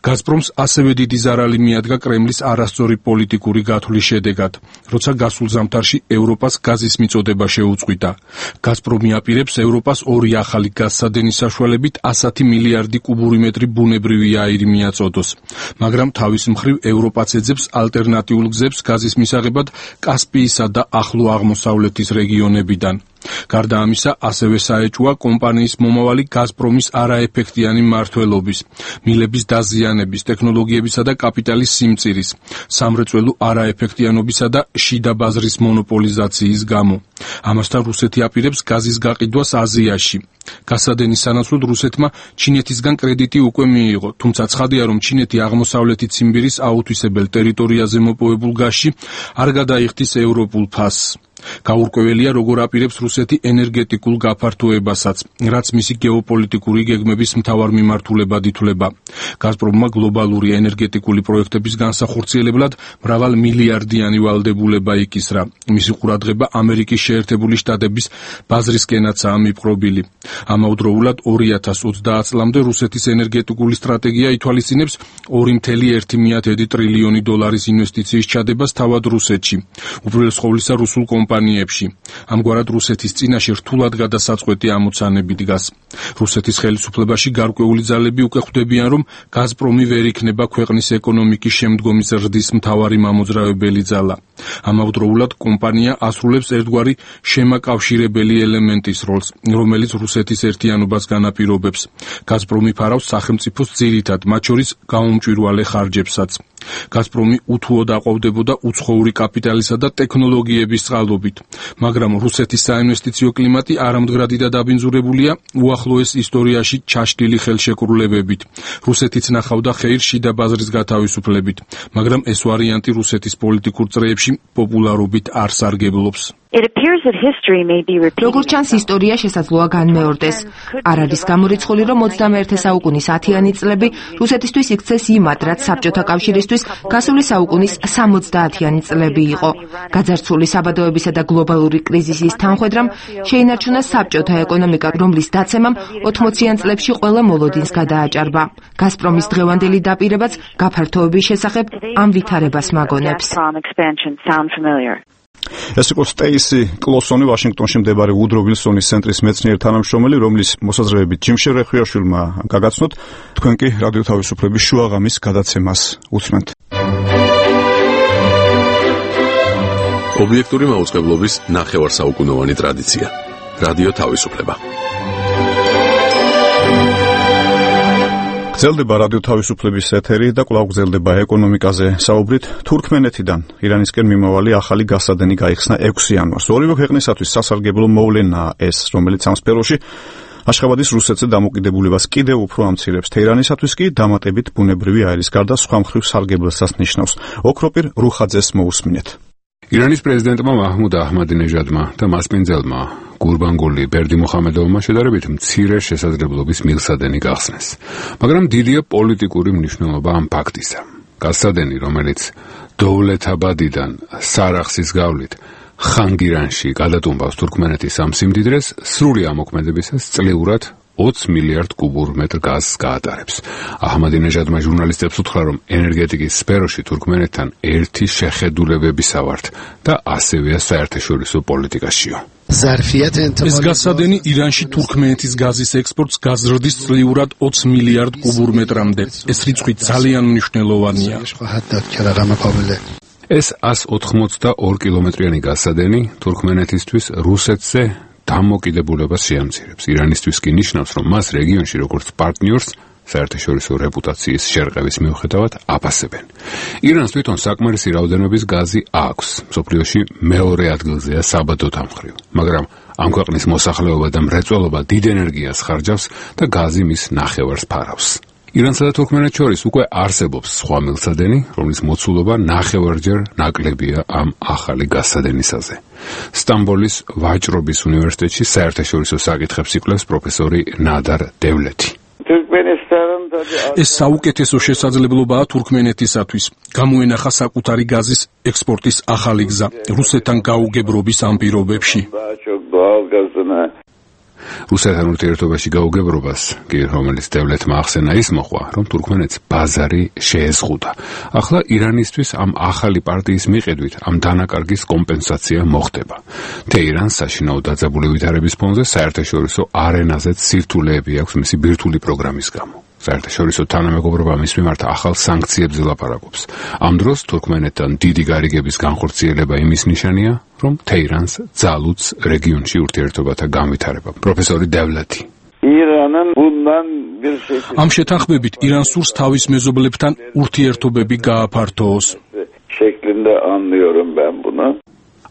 გაზპრომს ასევე დიდი ზარალი მიადგა კრემლის არასწორი პოლიტიკური გათვლის შედეგად, როცა გასულ ზამთარში ევროპას გაზის მიწოდება შეუწყვიტა. გაზპრომი აპირებს ევროპას ორი ახალი გაზსადენის საშუალებით 100 მილიარდი კუბური მეტრი ბუნებრივი აირი მიაწოდოს, მაგრამ თავის მხრივ ევროპაც ეძებს ალტერნატიულ გზებს გაზის მისაღებად კასპიისა და ახლო აღმოსავლეთის რეგიონებიდან. გარდა ამისა, ასევე საეჭვია კომპანიის მომავალი გაზპრომის არაეფექტიანი მმართველობის, მილების დაზიანების, ტექნოლოგიებისა და კაპიტალის სიმწირის, სამრეწველო არაეფექტიანობისა და შიდა ბაზრის მონოპოლიზაციის გამო. ამასთან რუსეთი აპირებს გაზის გაყიდვას აზიაში. გაზსადენის სანაცვლოდ რუსეთმა ჩინეთისგან კრედიტი უკვე მიიღო, თუმცა ცხადია, რომ ჩინეთი აღმოსავლეთი ციმბირის აუთვისებელ ტერიტორიაზე მოპოვებულ გაზში არ გადაიხდის ევროპულ ფასს. გაურკვეველია, როგორ აპირებს რუსეთი ენერგეტიკულ გაფართოებასაც, რაც მისი გეოპოლიტიკური გეგმების მთავარ მიმართულებად ითვლება. გაზპრომმა გლობალური ენერგეტიკული პროექტების განსახორციელებლად მრავალ მილიარდიანი ვალდებულება იკისრა. მისი ყურადღება ამერიკის შეერთებული შტატების ბაზრისკენაცაა მიპყრობილი. ამავდროულად 2030 წლამდე რუსეთის ენერგეტიკული სტრატეგია ითვალისწინებს 2.1 ტრილიონი დოლარის ინვესტიციის ჩადებას თავად რუსეთში. უპირველეს ყოვლისა რუსულ კომპანიებში. ამგვარად რუსეთის წინაშე რთულად გადასაწყვეტი ამოცანები დგას. რუსეთის ხელისუფლებაში გარკვეული ძალები უკვე ხვდებიან, რომ გაზპრომი ვერ იქნება ქვეყნის ეკონომიკის შემდგომი ზრდის მთავარი მამოძრავებელი ძალა. ამავდროულად კომპანია ასრულებს ერთგვარი შემაკავშირებელი ელემენტის როლს, რომელიც რუსეთის ერთიანობას განაპირობებს. გაზპრომი ფარავს სახელმწიფოს ძირითად, მათ შორის გაუმჭვირვალე ხარჯებსაც. გაზპრომი უთუოდ აყვავდებოდა უცხოური კაპიტალისა და ტექნოლოგიების წყალობით, მაგრამ რუსეთის საინვესტიციო კლიმატი არამდგრადი და დაბინძურებულია უახლოეს ისტორიაში ჩაშლილი ხელშეკრულებებით. რუსეთიც ნახავდა ხეირს შიდა ბაზრის გათავისუფლებით, მაგრამ ეს ვარიანტი რუსეთის პოლიტიკურ წრეებში პოპულარობით არ სარგებლობს. როგორც ჩანს, ისტორია შესაძლოა განმეორდეს. არ არის გამორიცხული, რომ 21 საუკუნის 10-იანი წლები რუსეთისთვის იქცეს იმად, რაც საბჭოთა კავშირისთვის გასული საუკუნის 70-იანი წლები იყო. გაძარცვული საბადოებისა და გლობალური კრიზისის თანხვედრამ შეინარჩუნა საბჭოთა ეკონომიკა, რომლის დაცემამ 80-იან წლებში ყველა მოლოდინს გადააჭარბა. გაზპრომის დღევანდელი დაპირებაც გაფართოების შესახებ ამ ვითარებას მაგონებს. ეს იყო სტეისი კლოსონი, ვაშინგტონში მდებარე უდრო ვილსონის ცენტრის მეცნიერ თანამშრომელი, რომლის მოსაზრებებით ჯიმ შერეხვიაშვილმა გაგაცნოთ. თქვენ კი რადიო თავისუფლების შუაღამის გადაცემას უსმენთ. ობიექტური მაუწყებლობის ნახევარსაუკუნოვანი ტრადიცია. რადიო თავისუფლება. გრძელდება რადიო თავისუფლების ეთერი და კვლავ გრძელდება ეკონომიკაზე საუბრით. თურქმენეთიდან ირანისკენ მიმავალი ახალი გაზსადენი გაიხსნა 6 იანვარს. ორივე ქვეყნისათვის სასარგებლო მოვლენაა ეს, რომელიც ამ სფეროში აშხაბადის რუსეთზე დამოკიდებულებას კიდევ უფრო ამცირებს. თეირანისათვის კი დამატებით ბუნებრივი აირის გარდა სხვა მხრივ სარგებლოსაც ნიშნავს. ოქროპირ რუხაძეს მოусმინეთ. ირანის პრეზიდენტმა მაჰმუდ აჰმადინეჟადმა და მასპინძელმა გურბანგული ბერდიმუხამედოვმა შედარებით მცირე შესაძლებლობის მილსადენი გახსნეს. მაგრამ დიდია პოლიტიკური მნიშვნელობა ამ ფაქტისა. გაზსადენი, რომელიც დოვლეთაბადიდან სარახსის გავლით ხანგირანში გადატუმბავს თურქმენეთის ამ სიმდიდრეს, სრული ამოქმედებისას წლიურად 20 მილიარდ კუბურ მეტრ გაზს გაატარებს. აჰმადინეჟადმა ჟურნალისტებს უთხრა, რომ ენერგეტიკის სფეროში თურქმენეთთან ერთი შეხედულებებისა ვართ და ასევეა საერთაშორისო პოლიტიკაშიო. ეს გაზსადენი ირანში თურქმენეთის გაზის ექსპორტს გაზრდის წლიურად 20 მილიარდ კუბურ მეტრამდე. ეს რიცხვი ძალიან მნიშვნელოვანია. ეს 182 კილომეტრიანი გაზსადენი თურქმენეთისთვის რუსეთზე დამოკიდებულებას შეამცირებს. ირანისთვის კი ნიშნავს, რომ მას რეგიონში როგორც პარტნიორს საერთაშორისო რეპუტაციის შერყევის მიუხედავად აფასებენ. ირანს თვითონ საკმარისი რაოდენობის გაზი აქვს. მსოფლიოში მეორე ადგილზეა საბადოთა მხრივ. მაგრამ ამ ქვეყნის მოსახლეობა და მრეწველობა დიდ ენერგიას ხარჯავს და გაზი მის ნახევარს ფარავს. ირანსა და თურქმენეთს შორის უკვე არსებობს სხვა მილსადენი, რომლის მოცულობა ნახევარჯერ ნაკლებია ამ ახალი გაზსადენისაზე. სტამბოლის ვაჭრობის უნივერსიტეტში საერთაშორისო საკითხებს იკვლევს პროფესორი ნადარ დევლეთი. ეს საუკეთესო შესაძლებლობაა თურქმენეთისათვის. გამოენახა საკუთარი გაზის ექსპორტის ახალი გზა რუსეთთან გაუგებრობის ამ პირობებში. რუსეთთან ურთიერთობაში გაუგებრობას, რომელიც დევლეთმა ახსენა ის მოხვა, რომ თურქმენეთს ბაზარი შეეზღუდა. ახლა ირანისთვის ამ ახალი პარტიის მიხედვით ამ დანაკარგის კომპენსაცია მოხდება. თეირანს საშინაო დაძაბული ვითარების ფონზე საერთაშორისო არენაზეც სირთულეები აქვს მისი ბირთვული პროგრამის გამო. საერთაშორისო თანამეგობრობა მის მიმართ ახალ სანქციებზე ლაპარაკობს. ამ დროს თურქმენეთთან დიდი გარიგების განხორციელება იმის ნიშანია, რომ თეირანს ძალუძს რეგიონში ურთიერთობათა განვითარება. პროფესორი დევლეთი. ამ შეთანხმებით ირანს სურს თავის მეზობლებთან ურთიერთობები გააფართოოს.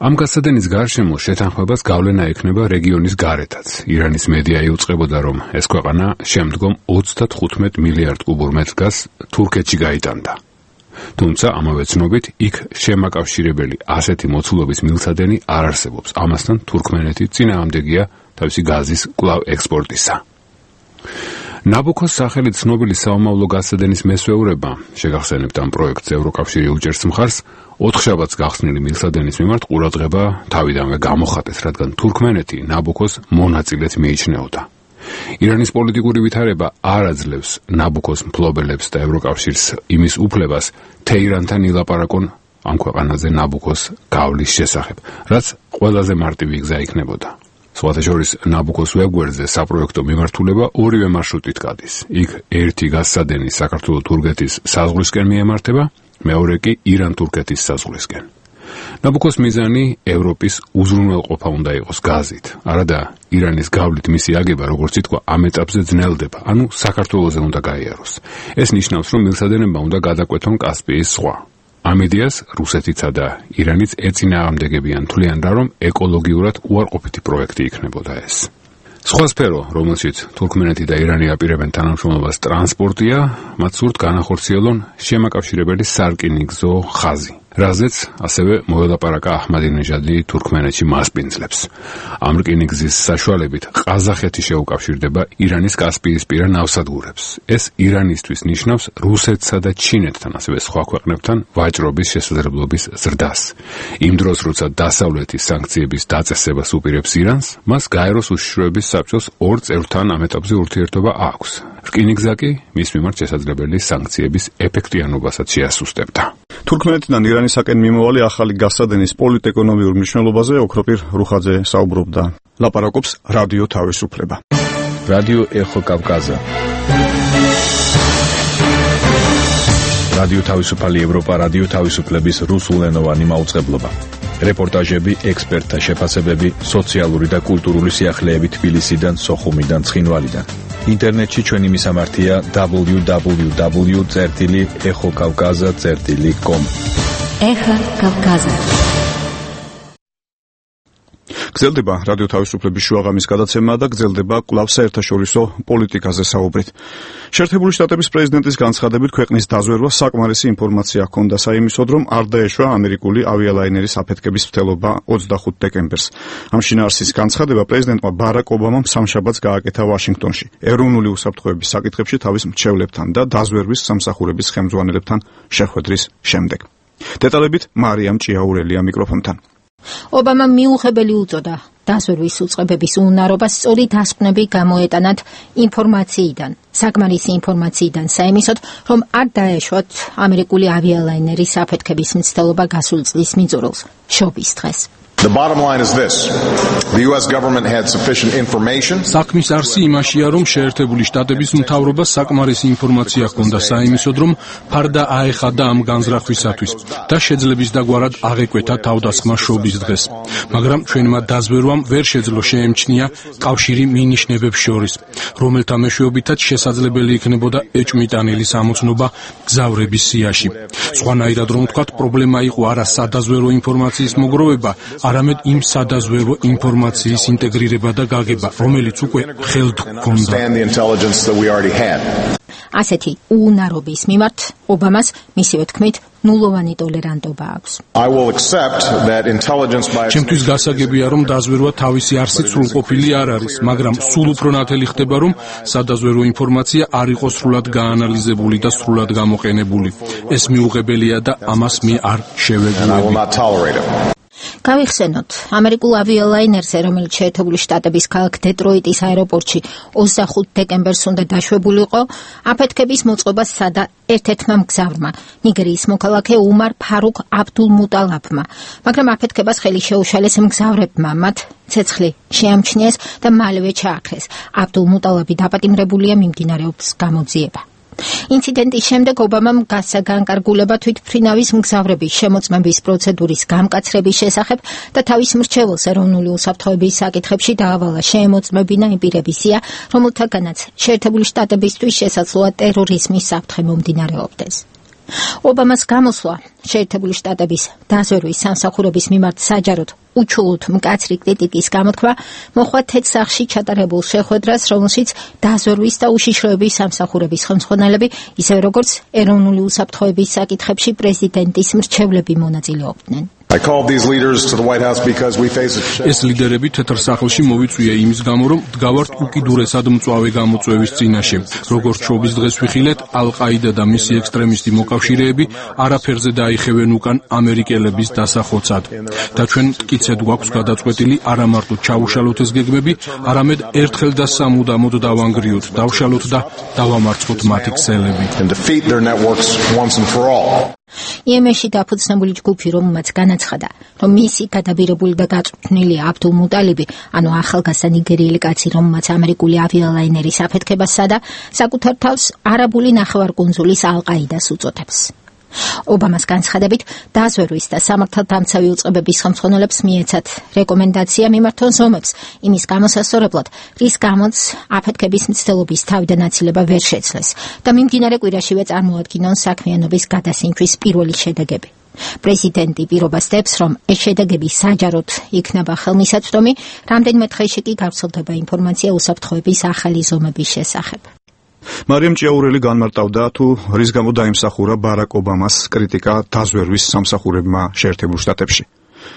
ამ გასადენის გარშემო შეთანხმებას გავლენა ექნება რეგიონის გარეთაც. ირანის მედია იუწყებოდა, რომ ეს ქვეყანა შემდგომ 35 მილიარდ კუბურ მეტრ გაზს თურქეთში გაიტანდა. თუმცა ამავე ცნობით იქ შემაკავშირებელი ასეთი მოცულობის მილსადენი არ არსებობს. ამასთან თურქმენეთი წინააღმდეგია თავისი გაზის კვლავ ექსპორტისა. ნაბუქოს სახელით ცნობილი საომავლო გასადენის მესვეურება, შეგახსენებთ ამ პროექტს ევროკავშირი უჭერს მხარს, ოთხშაბათს გახსნილი მილსადენის მიმართ ყურადღება თავიდანვე გამოხატეს, რადგან თურქმენეთი ნაბუქოს მონაწილედ მიიჩნეოდა. ირანის პოლიტიკური ვითარება არ აძლევს ნაბუქოს მფლობელებს და ევროკავშირს იმის უფლებას თეირანთან ილაპარაკონ ამ ქვეყანაზე ნაბუქოს გავლის შესახებ, რაც ყველაზე მარტივი გზა იქნებოდა. სხვათა შორის ნაბუქოს ვებგვერდზე საპროექტო მიმართულება ორივე მარშრუტით გადის. იქ ერთი გასადენი საქართველო-თურქეთის საზღვრისკენ მიემართება, მეორე კი ირან-თურქეთის საზღვრისკენ. ნაბუქოს მიზანი ევროპის უზრუნველყოფა უნდა იყოს გაზით. არადა ირანის გავლით მისი აგება, როგორც ითქვა, ამ ეტაპზე ძნელდება, ანუ საქართველოზე უნდა გაიაროს. ეს ნიშნავს, რომ მილსადენებმა უნდა გადაკვეთონ კასპიის ზღვა. ამ იდეას რუსეთიცა და ირანიც ეწინააღმდეგებიან, თვლიან რა, რომ ეკოლოგიურად უარყოფითი პროექტი იქნებოდა ეს. სხვა სფერო, რომელშიც თურქმენეთი და ირანი აპირებენ თანამშრომლობას ტრანსპორტია, მათ სურთ განახორციელონ შემაკავშირებელი სარკინიგზო ხაზი, რაზეც ასევე მოელაპარაკა აჰმადინეჟადი თურქმენეთში მასპინძლებს. ამ რკინიგზის საშუალებით ყაზახეთი შეუკავშირდება ირანის კასპიისპირა ნავსადგურებს. ეს ირანისთვის ნიშნავს რუსეთსა და ჩინეთთან, ასევე სხვა ქვეყნებთან ვაჭრობის შესაძლებლობის ზრდას. იმ დროს, როცა დასავლეთი სანქციების დაწესებას უპირებს ირანს, მას გაეროს უშიშროების საბჭოს ორ წევრთან ამ ეტაპზე ურთიერთობა აქვს. რკინიგზა კი მის მიმართ შესაძლებელი სანქციების ეფექტიანობასაც შეასუსტებდა. თურქმენეთიდან ირანისაკენ მიმავალი ახალი გასადენის პოლიტ-ეკონომიურ მნიშვნელობაზე ოქროპირ რუხაძე საუბრობდა. ლაპარაკობს რადიო თავისუფლება. რადიო ეხო კავკაზა. რადიო თავისუფალი ევროპა, რადიო თავისუფლების რუსულენოვანი მაუწყებლობა. რეპორტაჟები, ექსპერტთა შეფასებები, სოციალური და კულტურული სიახლეები თბილისიდან, სოხუმიდან, ცხინვალიდან. ინტერნეტში ჩვენი მისამართია www.ეხოკავკაზა.com. ეხა კავკაზა. გრძელდება რადიო თავისუფლების შუაღამის გადაცემა და გრძელდება კვლავ საერთაშორისო პოლიტიკაზე საუბრით. შეერთებული შტატების პრეზიდენტის განცხადებით ქვეყნის დაზვერვა საკმარისი ინფორმაცია ჰქონდა საიმისოდ, რომ არ დაეშვა ამერიკული ავიალაინერის აფეთქების მცდელობა 25 დეკემბერს. ამ შინაარსის განცხადება პრეზიდენტმა ბარაკ ობამამ სამშაბათს გააკეთა ვაშინგტონში, ეროვნული უსაფრთხოების საკითხებში თავის მრჩევლებთან და დაზვერვის სამსახურების ხელმძღვანელებთან შეხვედრის შემდეგ. დეტალებით მარიამ ჭიაურელია მიკროფონთან. ობამამ მიუღებელი უწოდა დაზვერვის უწყებების უნარობას სწორი დასკვნები გამოეტანათ ინფორმაციიდან, საკმარისი ინფორმაციიდან საიმისოდ, რომ არ დაეშვათ ამერიკული ავიალაინერის აფეთქების მცდელობა გასულ წლის მიწურულს, შობის დღეს. The bottom line is this. The US government had sufficient information. საქმის არსი იმაშია, რომ შეერთებული შტატების მთავრობას საკმარისი ინფორმაცია ჰქონდა საიმისოდ, რომ ფარდა აეხადა ამ განზრახვისათვის და შეძლების დაგვარად აღეკვეთა თავდასხმა შობის დღეს. მაგრამ ჩვენმა დაზვერვამ ვერ შეძლო შეემჩნია კავშირი მინიშნებებს შორის, რომელთა მეშვეობითაც შესაძლებელი იქნებოდა ეჭვმიტანილი სამოცნობა გზავრების სიაში. სხვანაირად რომ ვთქვათ, პრობლემა იყო არა სადაზვერო ინფორმაციის მოგროვება, არამედ იმ სადაზვერვო ინფორმაციის ინტეგრირება და გაგება, რომელიც უკვე ხელთ გქონდა. ასეთი უუნარობის მიმართ ობამას მისივე თქმით ნულოვანი ტოლერანტობა აქვს. ჩემთვის გასაგებია, რომ დაზვერვა თავისი არსით სრულყოფილი არ არის, მაგრამ სულ უფრო ნათელი ხდება, რომ სადაზვერვო ინფორმაცია არ იყოს სრულად გაანალიზებული და სრულად გამოყენებული. ეს მიუღებელია და ამას მე არ შევეგუები. გავიხსენოთ, ამერიკულ ავიალაინერზე, რომელიც შეერთებული შტატების ქალაქ დეტროიტის აეროპორტში 25 დეკემბერს უნდა დაშვებულიყო, აფეთქების მოწყობა სცადა ერთ-ერთმა მგზავრმა, ნიგერიის მოქალაქე უმარ ფარუკ აბდულმუტალაბმა, მაგრამ აფეთქებას ხელი შეუშალეს მგზავრებმა, მათ ცეცხლი შეამჩნიეს და მალევე ჩააქრეს. აბდულმუტალაბი დაპატიმრებულია, მიმდინარეობს გამოძიება. ინციდენტის შემდეგ ობამამ გასცა განკარგულება თვითმფრინავის მგზავრების შემოწმების პროცედურის გამკაცრების შესახებ და თავის მრჩეველს ეროვნული უსაფრთხოების საკითხებში დაავალა შეემოწმებინა იმ პირების სია, რომელთაგანაც შეერთებული შტატებისთვის შესაძლოა ტერორიზმის საფრთხე მომდინარეობდეს. ობამას გამოსვლა შეერთებული შტატების დაზვერვის სამსახურების მიმართ საჯაროდ უჩვეულთ მკაცრი კრიტიკის გამოთქვა მოხდა თეთრ სახლში ჩატარებულ შეხვედრას, რომელშიც დაზვერვის და უშიშროების სამსახურების ხელმძღვანელები, ისევე როგორც ეროვნული უსაფრთხოების საკითხებში პრეზიდენტის მრჩევლები მონაწილეობდნენ. ეს ლიდერები თეთრ სახლში მოვიწვია იმის გამო, რომ დგავართ უკიდურესად მწვავე გამოწვევის წინაშე. როგორც შობის დღეს ვიხილეთ, ალ-ყაიდა და მისი ექსტრემისტი მოკავშირეები არაფერზე დაიხევენ უკან ამერიკელების დასახოცად. და ჩვენ მტკიცედ გვაქვს გადაწყვეტილი არა მარტო ჩაუშალოთ ეს გეგმები, არამედ ერთხელ და სამუდამოდ დავანგრიოთ, დავშალოთ და დავამარცხოთ მათი ქსელები. იემენში დაფუძნებული ჯგუფი, რომელმაც განაცხადა, რომ მისი გადაბირებული და გაწვრთნილი აბდულმუტალიბი, ანუ ახალგაზრდა ნიგერიელი კაცი, რომელმაც ამერიკული ავიალაინერის აფეთქებას სცადა, საკუთარ თავს არაბული ნახევარკუნძულის ალ-ყაიდას უწოდებს. ობამას განცხადებით, დაზვერვის და სამართალდამცავი უწყებების ხელმძღვანელებს მიეცათ რეკომენდაცია მიმართონ ზომებს იმის გამოსასწორებლად, რის გამოც აფეთქების მცდელობის თავიდან აცილება ვერ შეცვლეს და მიმდინარე კვირაშივე წარმოადგინონ საქმიანობის გადასინთვის პირველი შედეგები. პრეზიდენტი პირობას დებს, რომ ეს შედეგები საჯაროდ იქნება ხელმისაწვდომი, რამდენიმე დღეში კი გავრცელდება ინფორმაცია უსაფრთხოების ახალი ზომების შესახებ. მარიამ ჭიაურელი განმარტავდა, თუ რის გამო დაიმსახურა ბარაკ ობამას კრიტიკა დაზვერვის სამსახურებმა შეერთებულ შტატებში.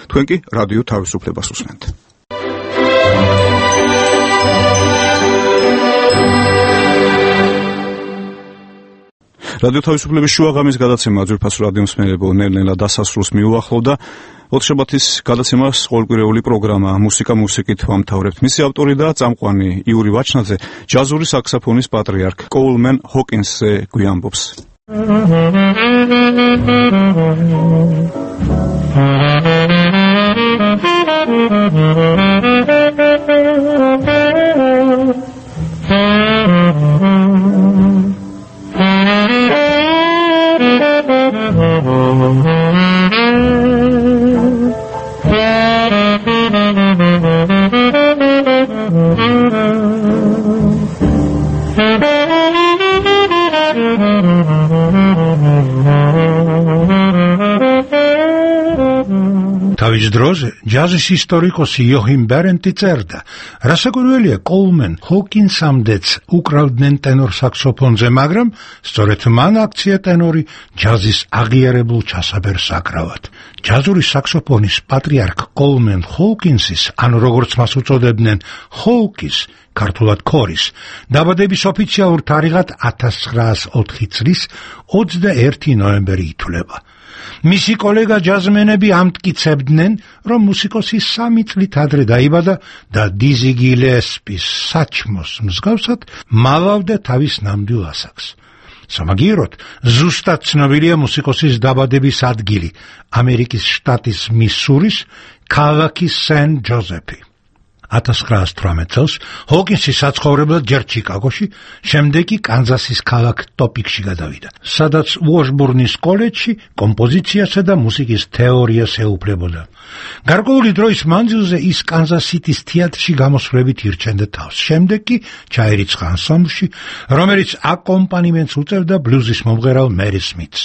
თქვენ კი რადიო თავისუფლებას უსმენთ. რადიო თავისუფლების შუაღამის გადაცემა ძვირფას რადიო მსმენელებო ნელ-ნელა დასასრულს მიუახლოვდა. ოთხშაბათის გადაცემას ყოველკვირეული პროგრამა მუსიკა მუსიკით ვამთავრებთ. მისი ავტორი და წამყვანი იური ვაჩნაძე ჯაზური საქსოფონის პატრიარქ კოულმენ ჰოკინსზე გვიამბობს. თავის დროზე ჯაზის ისტორიკოსი იოჰიმ ბერენტი წერდა, რასაკვირველია, კოულმენ ჰოკინსამდეც უკრავდნენ ტენორ საქსოფონზე, მაგრამ სწორედ მან აქცია ტენორი ჯაზის აღიარებულ ჩასაბერს აკრავად. ჯაზური საქსოფონის პატრიარქ კოულმენ ჰოკინსის, ანუ როგორც მას უწოდებდნენ, ჰოუკის, ქართულად ქორის, დაბადების ოფიციალურ თარიღად 1904 წლის 21 ნოემბერი ითვლება. მისი კოლეგა ჯაზმენები ამტკიცებდნენ, რომ მუსიკოსი 3 წლით ადრე დაიბადა და დიზი გილესპის საჩმოს მსგავსად მალავდა თავის ნამდვილ ასაკს. სამაგიეროდ, ზუსტად ცნობილია მუსიკოსის დაბადების ადგილი, ამერიკის შტატის მისურის ქალაქი სენ-ჯოზეფი. 1918 წელს ჰოკინსი საცხოვრებლად ჯერ ჩიკაგოში, შემდეგ კი კანზასის ქალაქ ტოპიკში გადავიდა, სადაც უოშბურნის კოლეჯში კომპოზიციასა და მუსიკის თეორიას ეუფლებოდა. გარკვეული დროის მანძილზე ის კანზას-სიტის თეატრში გამოსვლებით ირჩენდა თავს. შემდეგ კი ჩაირიცხა ანსამბლში, რომელიც აკომპანიმენტს უწევდა ბლუზის მომღერალ მერი სმითს.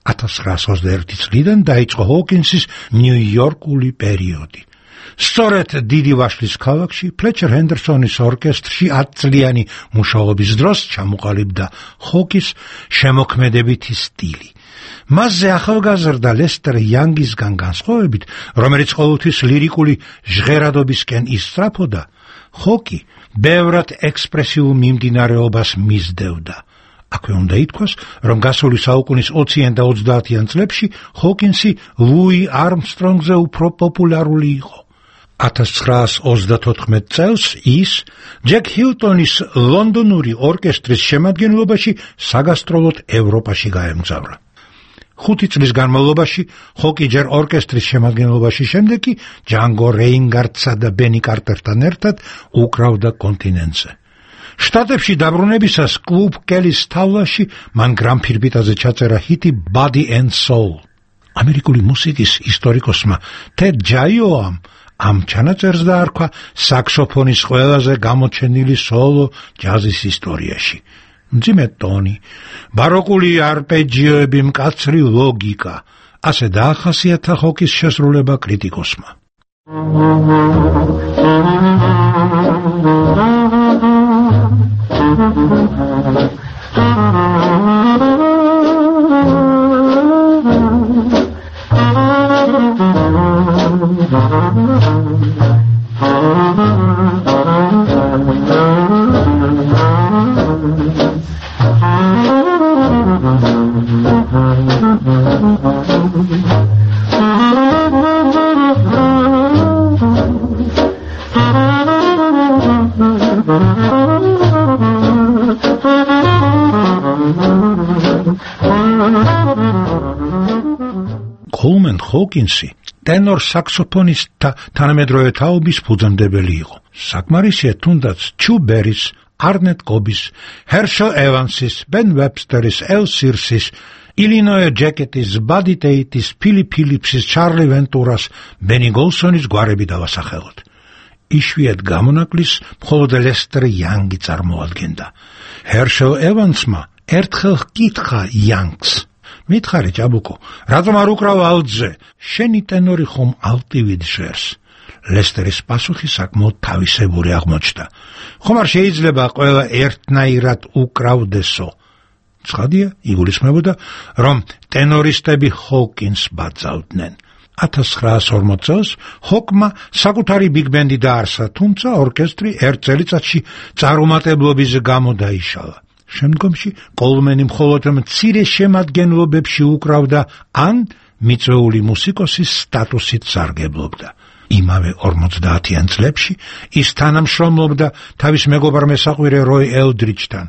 1921 წლიდან დაიწყო ჰოკინსის ნიუ-იორკული პერიოდი. სწორედ დიდი ვაშლის ქალაქში ფლეჩერ ჰენდერსონის ორკესტრში 10 წლიანი მუშაობის დროს ჩამოყალიბდა ჰოკის შემოქმედებითი სტილი. მასზე ახალგაზრდა ლესტერ იანგისგან განსხვავებით, რომელიც ყოველთვის ლირიკული ჟღერადობისკენ ისწრაფოდა, ჰოკი ბევრად ექსპრესიულ მიმდინარეობას მისდევდა. აქვე უნდა ითქვას, რომ გასული საუკუნის 20-იან და 30-იან წლებში ჰოკინსი ლუი არმსტრონგზე უფრო პოპულარული იყო. 1934 წელს ის ჯეკ ჰილტონის ლონდონური ორკესტრის შემადგენლობაში საგასტროლოდ ევროპაში გაემგზავრა. 5 წლის განმავლობაში ჰოკი ჯერ ორკესტრის შემადგენლობაში, შემდეგ კი ჯანგო რეინგარტსა და ბენი კარტერთან ერთად უკრავდა კონტინენტზე. შტატებში დაბრუნებისას კლუბ კელის თავლაში მან გრამფირფიტაზე ჩაწერა ჰიტი Body and Soul. ამერიკული მუსიკის ისტორიკოსმა ტედ ჯაიოამ ამ ჩანაწერს დაარქვა საქსოფონის ყველაზე გამოჩენილი სოლო ჯაზის ისტორიაში. მძიმე ტონი, ბაროკული არპეჯიოები, მკაცრი ლოგიკა, ასე დაახასიათა ჰოკის შესრულება კრიტიკოსმა. კოლმენ ჰოკინსი ტენორ საქსოფონისტთა თანამედროვე თაობის ფუძემდებელი იყო. საკმარისია თუნდაც ჩუ ბერის, არნეტ კობის, ჰერშელ ევანსის, ბენ ვებსტერის, ელ სირსის, ილინოე ჯეკეტის, ბადი ტეიტის, ფილი ფილიპსის, ჩარლი ვენტურას, ბენი გოლსონის გვარები დავასახელოთ. იშვიათ გამონაკლის მხოლოდ ლესტერ იანგი წარმოადგენდა. ჰერშელ ევანსმა ერთხელ ჰკითხა იანგს: მითხარი ჭაბუკო, რატომ არ უკრავ ალტზე? შენი ტენორი ხომ ალტივით ჟღერს? ლესტერის პასუხი საკმაოდ თავისებური აღმოჩნდა. ხომ არ შეიძლება ყველა ერთნაირად უკრავდესო? ცხადია, იგულისხმებოდა, რომ ტენორისტები ჰოკინს ბაძავდნენ. 1940 წელს ჰოკმა საკუთარი ბიგბენდი დაარსა, თუმცა ორკესტრი ერთ წელიწადში წარუმატებლობის გამო დაიშალა. შემდგომში კოლმენი მხოლოდ მცირე შემადგენლობებში უკრავდა ან მიწვეული მუსიკოსის სტატუსით სარგებლობდა. იმავე 50-იან წლებში ის თანამშრომლობდა თავის მეგობარ მესაყვირე როი ელდრიჩთან,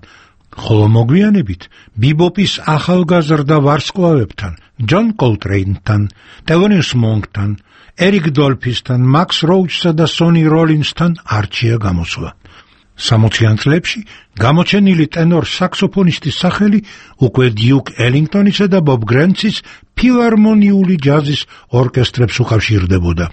ხოლო მოგვიანებით ბიბოპის ახალგაზრდა ვარსკვლავებთან, ჯონ კოლტრეინთან, ტელონიუს მონკთან, ერიკ დოლფისთან, მაქს როუჩსა და სონი როლინსთან არჩია გამოსვლა. 60-იან წლებში გამოჩენილი ტენორ საქსოფონისტის სახელი უკვე დიუკ ელინგტონისა და ბობ გრენცის ფილარმონიული ჯაზის ორკესტრებს უკავშირდებოდა.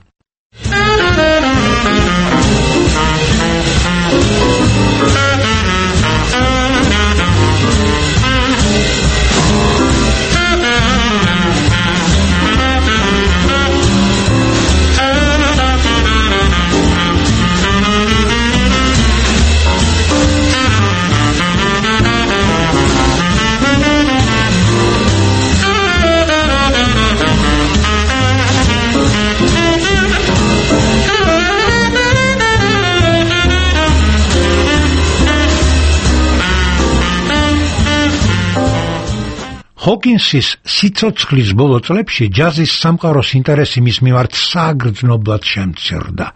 ჰოკინსის სიცოცხლის ბოლო წლებში ჯაზის სამყაროს ინტერესი მის მიმართ საგრძნობლად შემცირდა.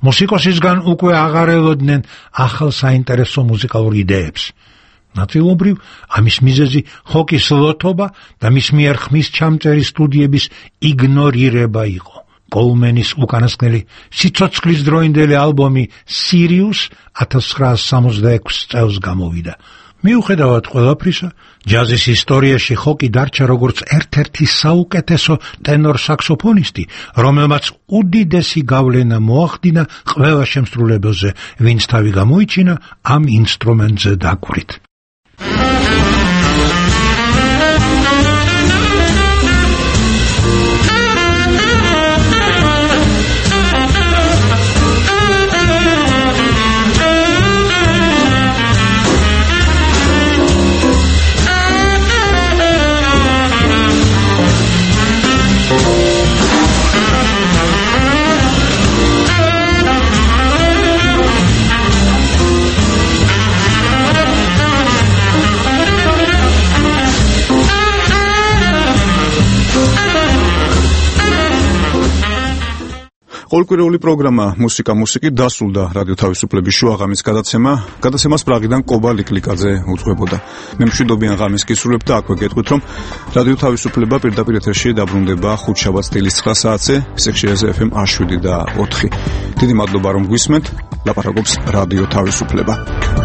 მუსიკოსისგან უკვე აღარ ელოდნენ ახალ საინტერესო მუსიკალურ იდეებს. ნაწილობრივ ამის მიზეზი ჰოკის ლოთობა და მის მიერ ხმის ჩამწერი სტუდიების იგნორირება იყო. კოლმენის უკანასკნელი სიცოცხლის დროინდელი ალბომი სირიუს 1966 წელს გამოვიდა. მიუხედავად ყველაფრისა, ჯაზის ისტორიაში ჰოკი დარჩა როგორც ერთ-ერთი საუკეთესო ტენორ საქსოფონისტი, რომელმაც უდიდესი გავლენა მოახდინა ყველა შემსრულებელზე, ვინც თავი გამოიჩინა ამ ინსტრუმენტზე დაკვრით. ყოველკვირეული პროგრამა მუსიკი დასრულდა რადიო თავისუფლების შუაღამის გადაცემას პრაღიდან კობა ლიკლიკაძე უძღვებოდა. მე მშვიდობიან ღამის გისურვებ და აქვე გეტყვით, რომ რადიო თავისუფლება პირდაპირ ეთერში დაბრუნდება ხუთშაბათს დილის 9 საათზე სექციაზე FM 7 და 4. დიდი მადლობა რომ გვისმენთ. ლაპარაკობს რადიო თავისუფლება.